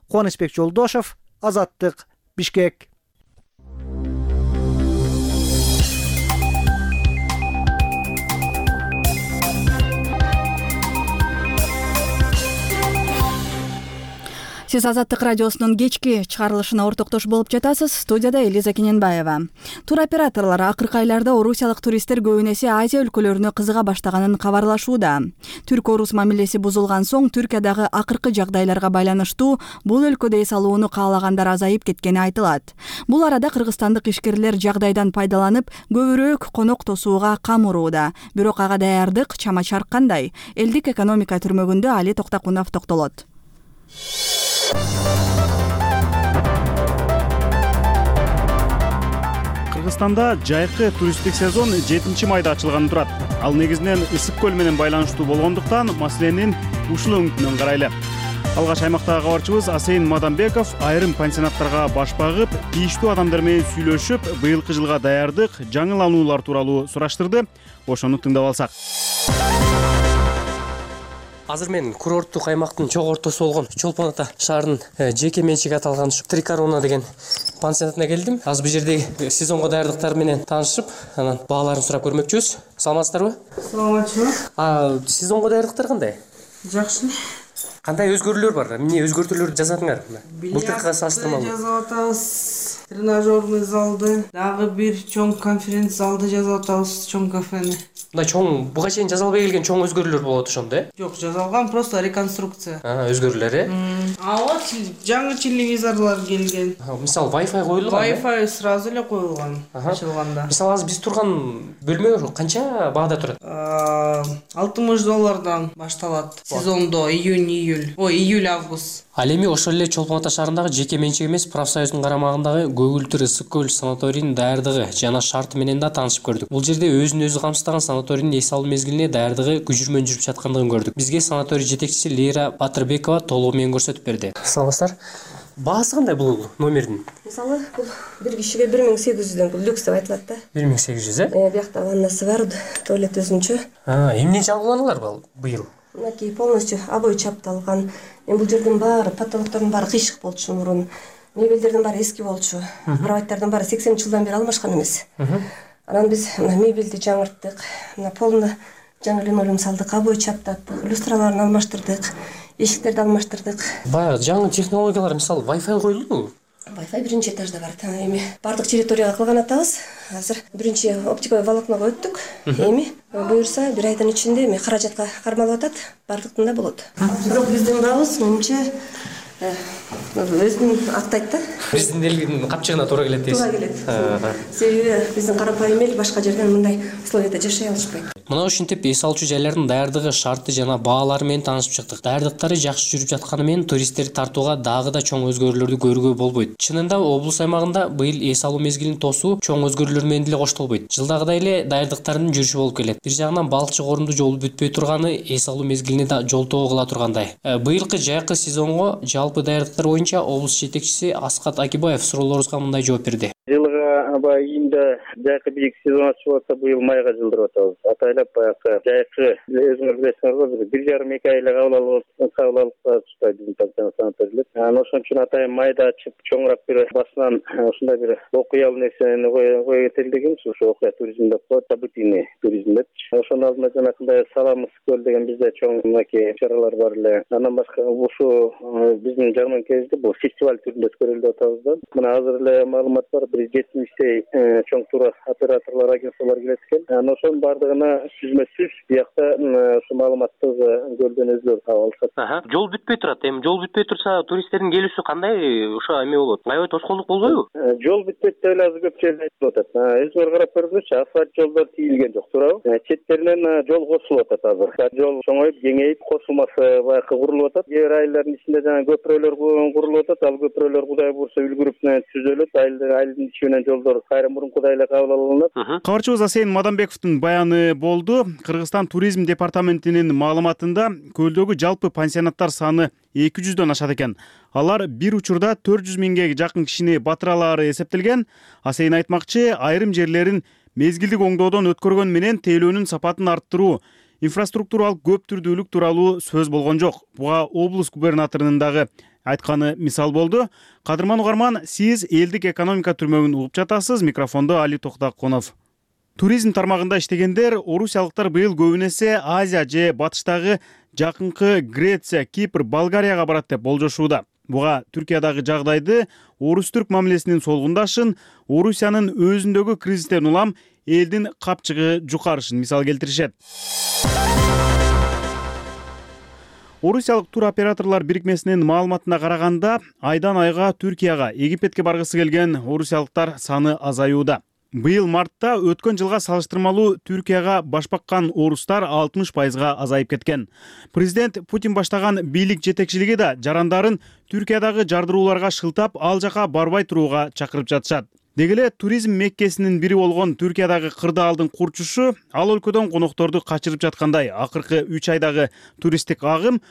Кубанычбек Жолдошов, Азаттык, Бишкек. Сиз Азаттык радиосунун кечки чыгарылышына ортоктош болуп жатасыз. Студияда Элиза Кененбаева. Туроператорлор акыркы айларда орусиялык туристтер көбүн эсе Азия өлкөлөрүнө кызыга баштаганын кабарлашууда. Түрк-орус мамилеси бузулган соң Түркиядагы акыркы жагдайларга байланыштуу бул өлкөдө эс алууну каалагандар азайып кеткени айтылат. Бул арада кыргызстандык ишкерлер жагдайдан пайдаланып көбүрөөк конок тосууга кам урууда. Бирок ага даярдык чама-чарк кандай? Элдик экономика түрмөгүндө Али Токтакунов токтолот. Кыргызстанда жайкы туристтик сезон 7-майда ачылганы турат. Ал негизинен ысык көл менен байланыштуу болгондуктан маселенин ушул өңүтүнөн карайлы. Алгач аймактагы кабарчыбыз Асейин Мадамбеков айрым пансионаттарга баш багып, тийиштүү адамдар менен сүйлөшүп, быйылкы жылга даярдык, жаңылануулар тууралуу сураштырды. Ошону тыңдап алсак. Азыр мен курорттук аймактын чоң ортосу болгон Чолпон Ата шаарынын жеке менчиге аталган Три Корона деген пансионатына келдим. Азыр бул жердеги сезонго даярдыктар менен таанышып, анан бааларын сурап көрмөкчүбүз. Саламатсыздарбы? Саламатчылык. Сезонго даярдыктар кандай? Жакшы. Кандай өзгөрүүлөр бар? Эмне өзгөртүүлөрдү жасадыңар? Былтыркыга салыштырмалуу. Жасап атабыз. Тренажерный залды, дагы бир чоң конференц залды жасап атабыз, чоң кафени. Мындай чоң буга чейин жасалбай келген чоң өзгөрүүлөр болот ошондо, э? Жок, жасалган, просто реконструкция. Өзгөрүүлөр, э? Вот жаңы телевизорлор келген. Мисалы Wi-Fi коюлган. Wi-Fi сразу эле коюлган ачылганда. Мисалы азыр биз турган бөлмө канча баада турат? $60 башталат. Сезондо июль-август. Ал эми ошол эле Чолпон Ата шаарындагы жеке менчик эмес профсоюздун карамагындагы Көгүлтүр ысык көл санаторийинин даярдыгы жана шарты менен да таанышып көрдүк. Бул жерде өзүн өзү камсыздаган санаторийдин эс алуу мезгилине даярдыгы күжүрмөн жүрүп жаткандыгын көрдүк. Бизге санаторий жетекчиси Лейра Батырбекова толугу менен көрсөтүп берди. Саламатсыздар. Баасы кандай бул номердин? Мисалы, бул бир кишиге 1800дөн, бул люкс деп айтылат да. 1800, э? Биякта ваннасы бар, туалет өзүнчө. Эмне жаңыланулар быйыл? Мынакей полностью обой чапталган. Бул жердин баары, потолоктордун баары кыйшык болчу мурун. Мебелдердин баары эски болчу. Кроваттардын баары 80 жылдан бери алмашкан эмес. Анан биз мебелди жаңырттык. Полно жаңы линолеум салдык, обой чаптаттык, люстраларын алмаштырдык, эшиктерди алмаштырдык. Баягы жаңы технологиялар, мисалы Wi-Fi коюлдубу? Wi-Fi биринчи этажда бар. Эми бардык территорияга кылган атабыз. Азыр биринчи оптиковый волокного өттүк. Эми буюрса бир айдын ичинде эми каражатка кармалып атат, бардыктын да болот. Бирок биздин бабыз менимче өзүн актайт да. Биздин элдин капчыгына туура келет дейсиз. Туура келет. Себеби биздин карапайым эл башка жерден мындай условияда жашай алышпайт. Мына ушинтип эс алуучу жайлардын даярдыгы, шарты жана баалары менен таанышып чыктык. Даярдыктары жакшы жүрүп жатканы менен туристтерди тартууга дагы да чоң өзгөрүүлөрдү көрүүгө болбойт. Чынында облус аймагында быйыл эс алуу мезгилин тосуу чоң өзгөрүүлөр менен деле коштолбойт. Жылдагыдай эле даярдыктардын жүрүшү болуп келет. Бир жагынан балыкчы корунду жолу бүтпөй турганы эс алуу мезгилине да жолтоо кыла тургандай. Быйылкы жайкы сезонго жалпы даярдыктар боюнча облус жетекчиси Аскат Акибаев суроолорубузга мындай жооп берди. Жылга аба июнда жайкы бийик сезон ачып атса, быйыл майга жылдырып атабыз. Атайлап баягы жайкы өзүңөр билесиңер, 1,5-2 айла кабыл алып чыкпайт биздин пансионат санаторийлер. Ошон үчүн атайын майда ачып, чоңураак бир басынан ушундай бир окуялуу нерсени кое кетелдигенбиз. Ошо окуя туризм деп коет, событийный туризм деп. Ошонун алдында жанакындай Салам ысык көл деген бизде чоң мынакей чаралар бар эле. Андан башка ушу биздин жәрмеңкебизди бул фестиваль түрүндө өткөрүлүп атабыз да. Мына азыр эле маалымат бар, 170 чоң тур операторлор, агентстволор келет экен. Ошонун бардыгына сүзмө-сүз биякта ушу маалыматты көлдөн өздөрү таап алышат. Жол бүтпөй турат. Эми жол бүтпөй турса, туристтердин келүүсү кандай ошо эме болот? Аябай тоскоолдук болбойбу? Жол бүтпөйт деп эле азыр көп жерде айтылып атат. Өзүңөр карап көрүңүзчү, асфальт жолдор тийилген жок, туурабы? Четтеринен жол кошулуп атат азыр. Жол чоңоюп, кеңейип, кошулмасы баягы курулуп атат. Кээ бир айылдардын ичинде жана көпүрөлөр курулуп атат. Ал көпүрөлөр Кудай буйрса үлгүрүп түзөлөт. Айылдын ичи менен жолдор кайра мурункудай эле кабыл алынат. Кабарчыбыз Асейин Мадамбековдун баяны болду. Кыргызстан туризм департаментинин маалыматында көлдөгү жалпы пансионаттар саны 200дөн ашат экен. Алар бир учурда 400 миңге жакын кишини батыра алары эсептелген. Асейин айтмакчы, айрым жерлерин мезгилдик оңдоодон өткөргөн менен тейлөөнүн сапатын арттыруу, инфраструктуралык көптүрдүүлүк тууралуу сөз болгон жок. Буга облус губернаторунун дагы айтканы мисал болду. Кадырман угарман, сиз элдик экономика түрмөгүн угуп жатасыз. Микрофондо Али Токтакунов. Туризм тармагында иштегендер орусиялыктар быйыл көбүн эсе Азия же батыштагы жакынкы Греция, Кипр, Болгарияга барат деп болжошууда. Буга Түркиядагы жагдайды, орус-түрк мамилесинин солгундашын, Орусиянын өзүндөгү кризистен улам элдин капчыгы жукарышын мисал келтиришет. Орусиялык тур операторлор бирикмесинин маалыматына караганда, айдан айга Түркияга, Египетке баргысы келген орусиялыктар саны азаюуда. Быйыл мартта өткөн жылга салыштырмалуу Түркияга баш баккан орустар 60%га азайып кеткен. Президент Путин баштаган бийлик жетекчилиги да жарандарын Түркиядагы жардырууларга шылтап, ал жака барбай турууга чакырып жатышат. Деги эле туризм меккесинин бири болгон Түркиядагы кырдаалдын курчушу ал өлкөдөн конокторду качырып жаткандай. Акыркы 3 айдагы туристтик агым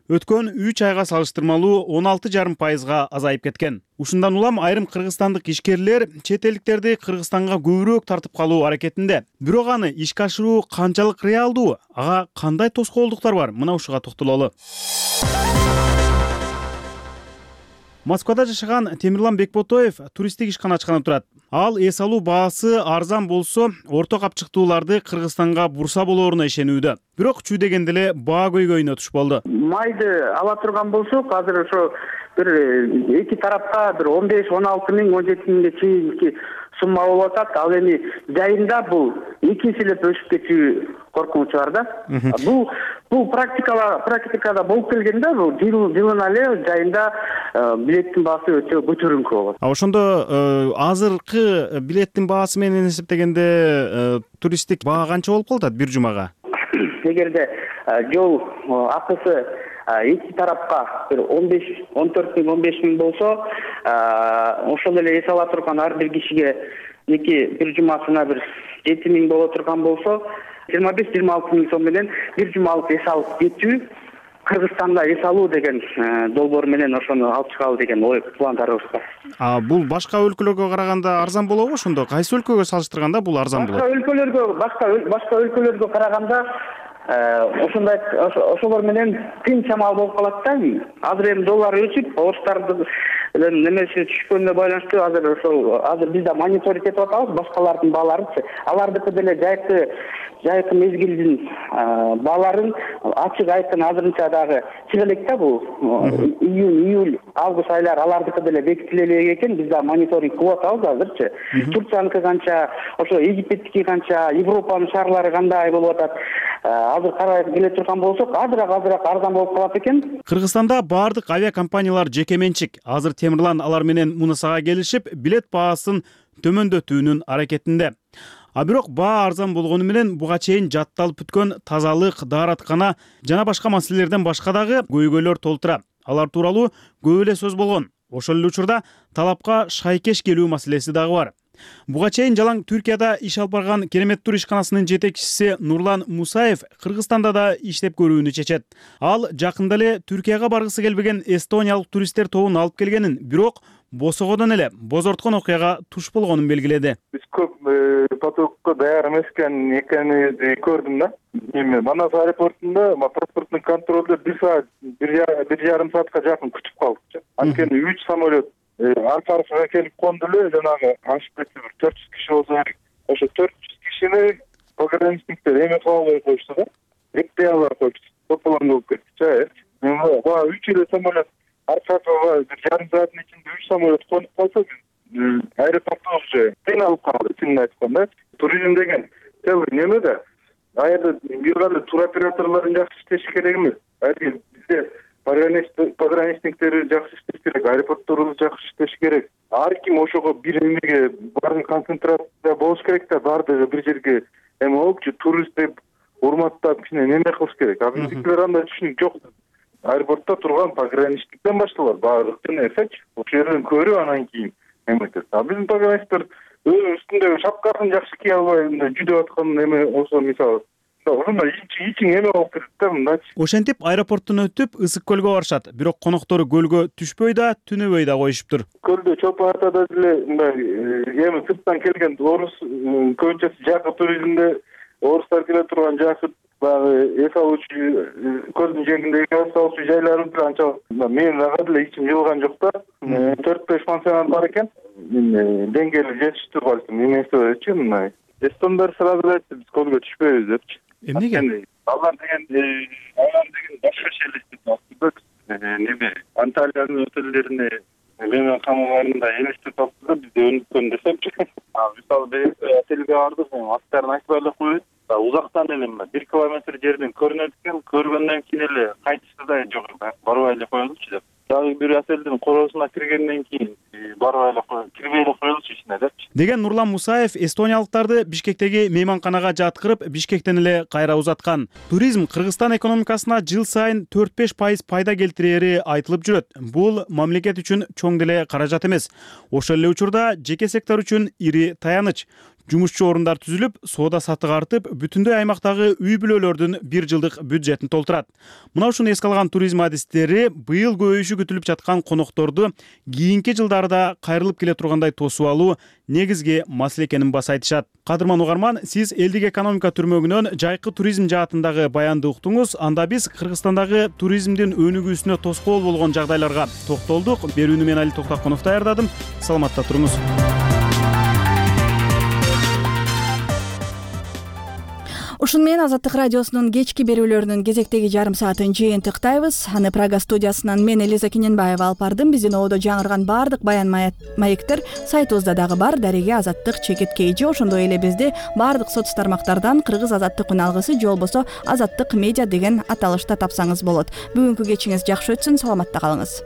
өткөн 3 айга салыштырмалуу 16,5%га азайып кеткен. Ушундан улам айрым кыргызстандык ишкерлер чет элдиктерди Кыргызстанга көбүрөөк тартып калуу аракетинде. Бирок аны ишке ашыруу канчалык реалдуу? Ага кандай тоскоолдуктар бар? Мына ушуга токтололу. Москвада жашаган Темирлан Бекботоев туристтик ишкана ачканы турат. Ал эс алуу баасы арзан болсо, орто капчыктууларды Кыргызстанга бурса болоруна ишенүүдө. Бирок чүй дегенде эле баа көйгөйүнө туш болду. Майды ала турган болсок, азыр ошо бир эки тарапка бир 15-16 миң, 17 миңге чейинки сумма болуп атат. Ал эми жайында бул экинчилеп өсүп кетүү коркунучу бар да. Бул практикада болуп келгенде, бул жылына эле жайында билеттин баасы өтө көтөрүнкү болот. Ошондо азыркы билеттин баасы менен эсептегенде туристтик баа канча болуп калат бир жумага? Эгерде жол акысы эки тарапка бир 14 миң, 15 миң болсо, ошол эле эс ала турган ар бир кишиге бир жумасына бир 7 миң боло турган болсо, 25-26 миң сом менен бир жумалык эс алып кетүү, Кыргызстанда эс алуу деген долбоор менен ошону алып чыгалы деген ой пландарыбыз бар. Бул башка өлкөлөргө караганда арзан болобу ошондо? Кайсы өлкөгө салыштырганда бул арзан болот? Башка өлкөлөргө караганда ошолор менен тыйын чамал болуп калат да. Азыр эми доллар өсүп, орустардын немеси түшкөнүнө байланыштуу азыр биз да мониторинг этип атабыз башкалардын бааларын. Алардыкы деле жайкы мезгилдин бааларын ачык айткан азырынча дагы чыга элек да, бул июнь, июль, август айлары алардыкы деле бекитиле элек экен. Биз да мониторинг кылып атабыз азырчы. Турцияныкы канча, ошо Египеттики канча, Европанын шаарлары кандай болуп атат. Азыр карап келе турган болсок, азыраак арзан болуп калат экен. Кыргызстанда баардык авиакомпаниялар жекеменчик. Азыр Темирлан алар менен мунусага келишип, билет баасын төмөндөтүүнүн аракетинде. Бирок баа арзан болгону менен буга чейин жатталып бүткөн тазалык, даараткана жана башка маселелерден башка дагы көйгөйлөр толтура. Алар тууралуу көп эле сөз болгон. Ошол эле учурда талапка шайкеш келүү маселеси дагы бар. Буга чейин жалаң Түркияда иш алып барган Керемет тур ишканасынын жетекчиси Нурлан Мусаев Кыргызстанда да иштеп көрүүнү чечет. Ал жакында эле Түркияга баргысы келбеген эстониялык туристтер тобун алып келгенин, бирок босогодон эле бозорткон окуяга туш болгонун белгиледи. Биз көп потокко даяр эмес экенибизди көрдүм да. Эми Манас аэропортунда паспорттун контролду 1 саат, 1,5 саатка жакын күтүп калдык. Анткени 3 самолет арка-аркага келип конду эле, жанагы ашып кетти, 400 киши болсо керек. Ошо 400 кишини пограничниктер эме кыла албай коюшту да. Экпей албай коюшту. Тополоң болуп кетти. Баа 3 эле самолет аркага 1,5 сааттын ичинде 3 самолет конуп калса, аэропортто уже кыйналып калды, чынын айтканда. Туризм деген неме да. Аерде бир кандай тур операторлорун жакшы иштеши керек эмес. Бизде пограничниктери жакшы иштеш керек, аэропортторубуз жакшы иштеш керек. Ар ким ошого бир эмеге баарын концентрация болуш керек да, баардыгы бир жерге эме болупчу, турист деп урматтап кичине неме кылыш керек. Биздикилер андай түшүнүк жок. Аэропортто турган пограничниктен башталат баардык нерсечи. Ошол жерден көрүп анан кийин эметет. Биздин пограничниктер үстүндөгү шапкасын жакшы кие албай жүдөп аткан эме болсо, мисалы ошондо ичиң эме болуп кетет да, мындачы. Ошентип аэропорттон өтүп Ысык көлгө барышат. Бирок коноктору көлгө түшпөй да, түнөбөй да коюшуптур. Көлдө чопо атада деле мындай эми сырттан келген орус көбүнчөсү жакы туризмде орустар келе турган жакы баягы эс алуучу көлдүн жээгиндеги эс алуучу жайлар анча менин ага деле ичим жылган жок да. 4-5 пансионат бар экен. Деңгээли жетиштүү балким эмесичи мындай. Эстондар сразу айтты, биз көлгө түшпөйбүз депчи. Эмнеге? Алар деген башка элестетип неме Италиянын отелдерине мейманканаларында элестетип алды да бизде өнүккөн десемчи. Мисалы бир отелге бардык, аттарын айтпай эле коеюн. Узактан эле 1 километр жерден көрүнөт экен, көргөндөн кийин эле кайтышты да жок, барбай эле коелучу деп. Дагы бир отелдин короосуна киргенден кийин барбай эле кирбей эле коелучу ичине депчи. Деген Нурлан Мусаев эстониялыктарды Бишкектеги мейманканага жаткырып, Бишкектен эле кайра узаткан. Туризм Кыргызстан экономикасына жыл сайын 4-5% пайда келтирери айтылып жүрөт. Бул мамлекет үчүн чоң деле каражат эмес. Ошол эле учурда жеке сектор үчүн ири таяныч. Жумушчу орундар түзүлүп, соода саттык артып, бүтүндөй аймактагы үй бүлөлөрдүн 1 жылдык бюджетин толтурат. Мына ушуну эске алган туризм адистери быйыл көбөйүшү күтүлүп жаткан конокторду кийинки жылдарда кайрылып келе тургандай тосуп алуу негизги маселе экенин баса айтышат. Кадырман угарман, сиз элдик экономика түрмөгүнөн жайкы туризм жаатындагы баянды уктуңуз. Анда биз Кыргызстандагы туризмдин өнүгүүсүнө тоскоол болгон жагдайларга токтолдук. Берүүнү мен Али Токтакунов даярдадым. Саламатта туруңуз. Ушун менен Азаттык радиосунун кечки берүүлөрүнүн кезектеги жарым саатын жыйынтыктайбыз. Аны Прага студиясынан мен Элиза Кененбаева алып бардым. Биздин оодо жаңырган баардык баян маектер сайтыбызда дагы бар. Дареге Азаттык _KG. Ошондой эле бизди баардык соц тармактардан Кыргыз Азаттык үналгысы же болбосо Азаттык медиа деген аталышта тапсаңыз болот. Бүгүнкү кечиңиз жакшы өтсүн, саламатта калыңыз.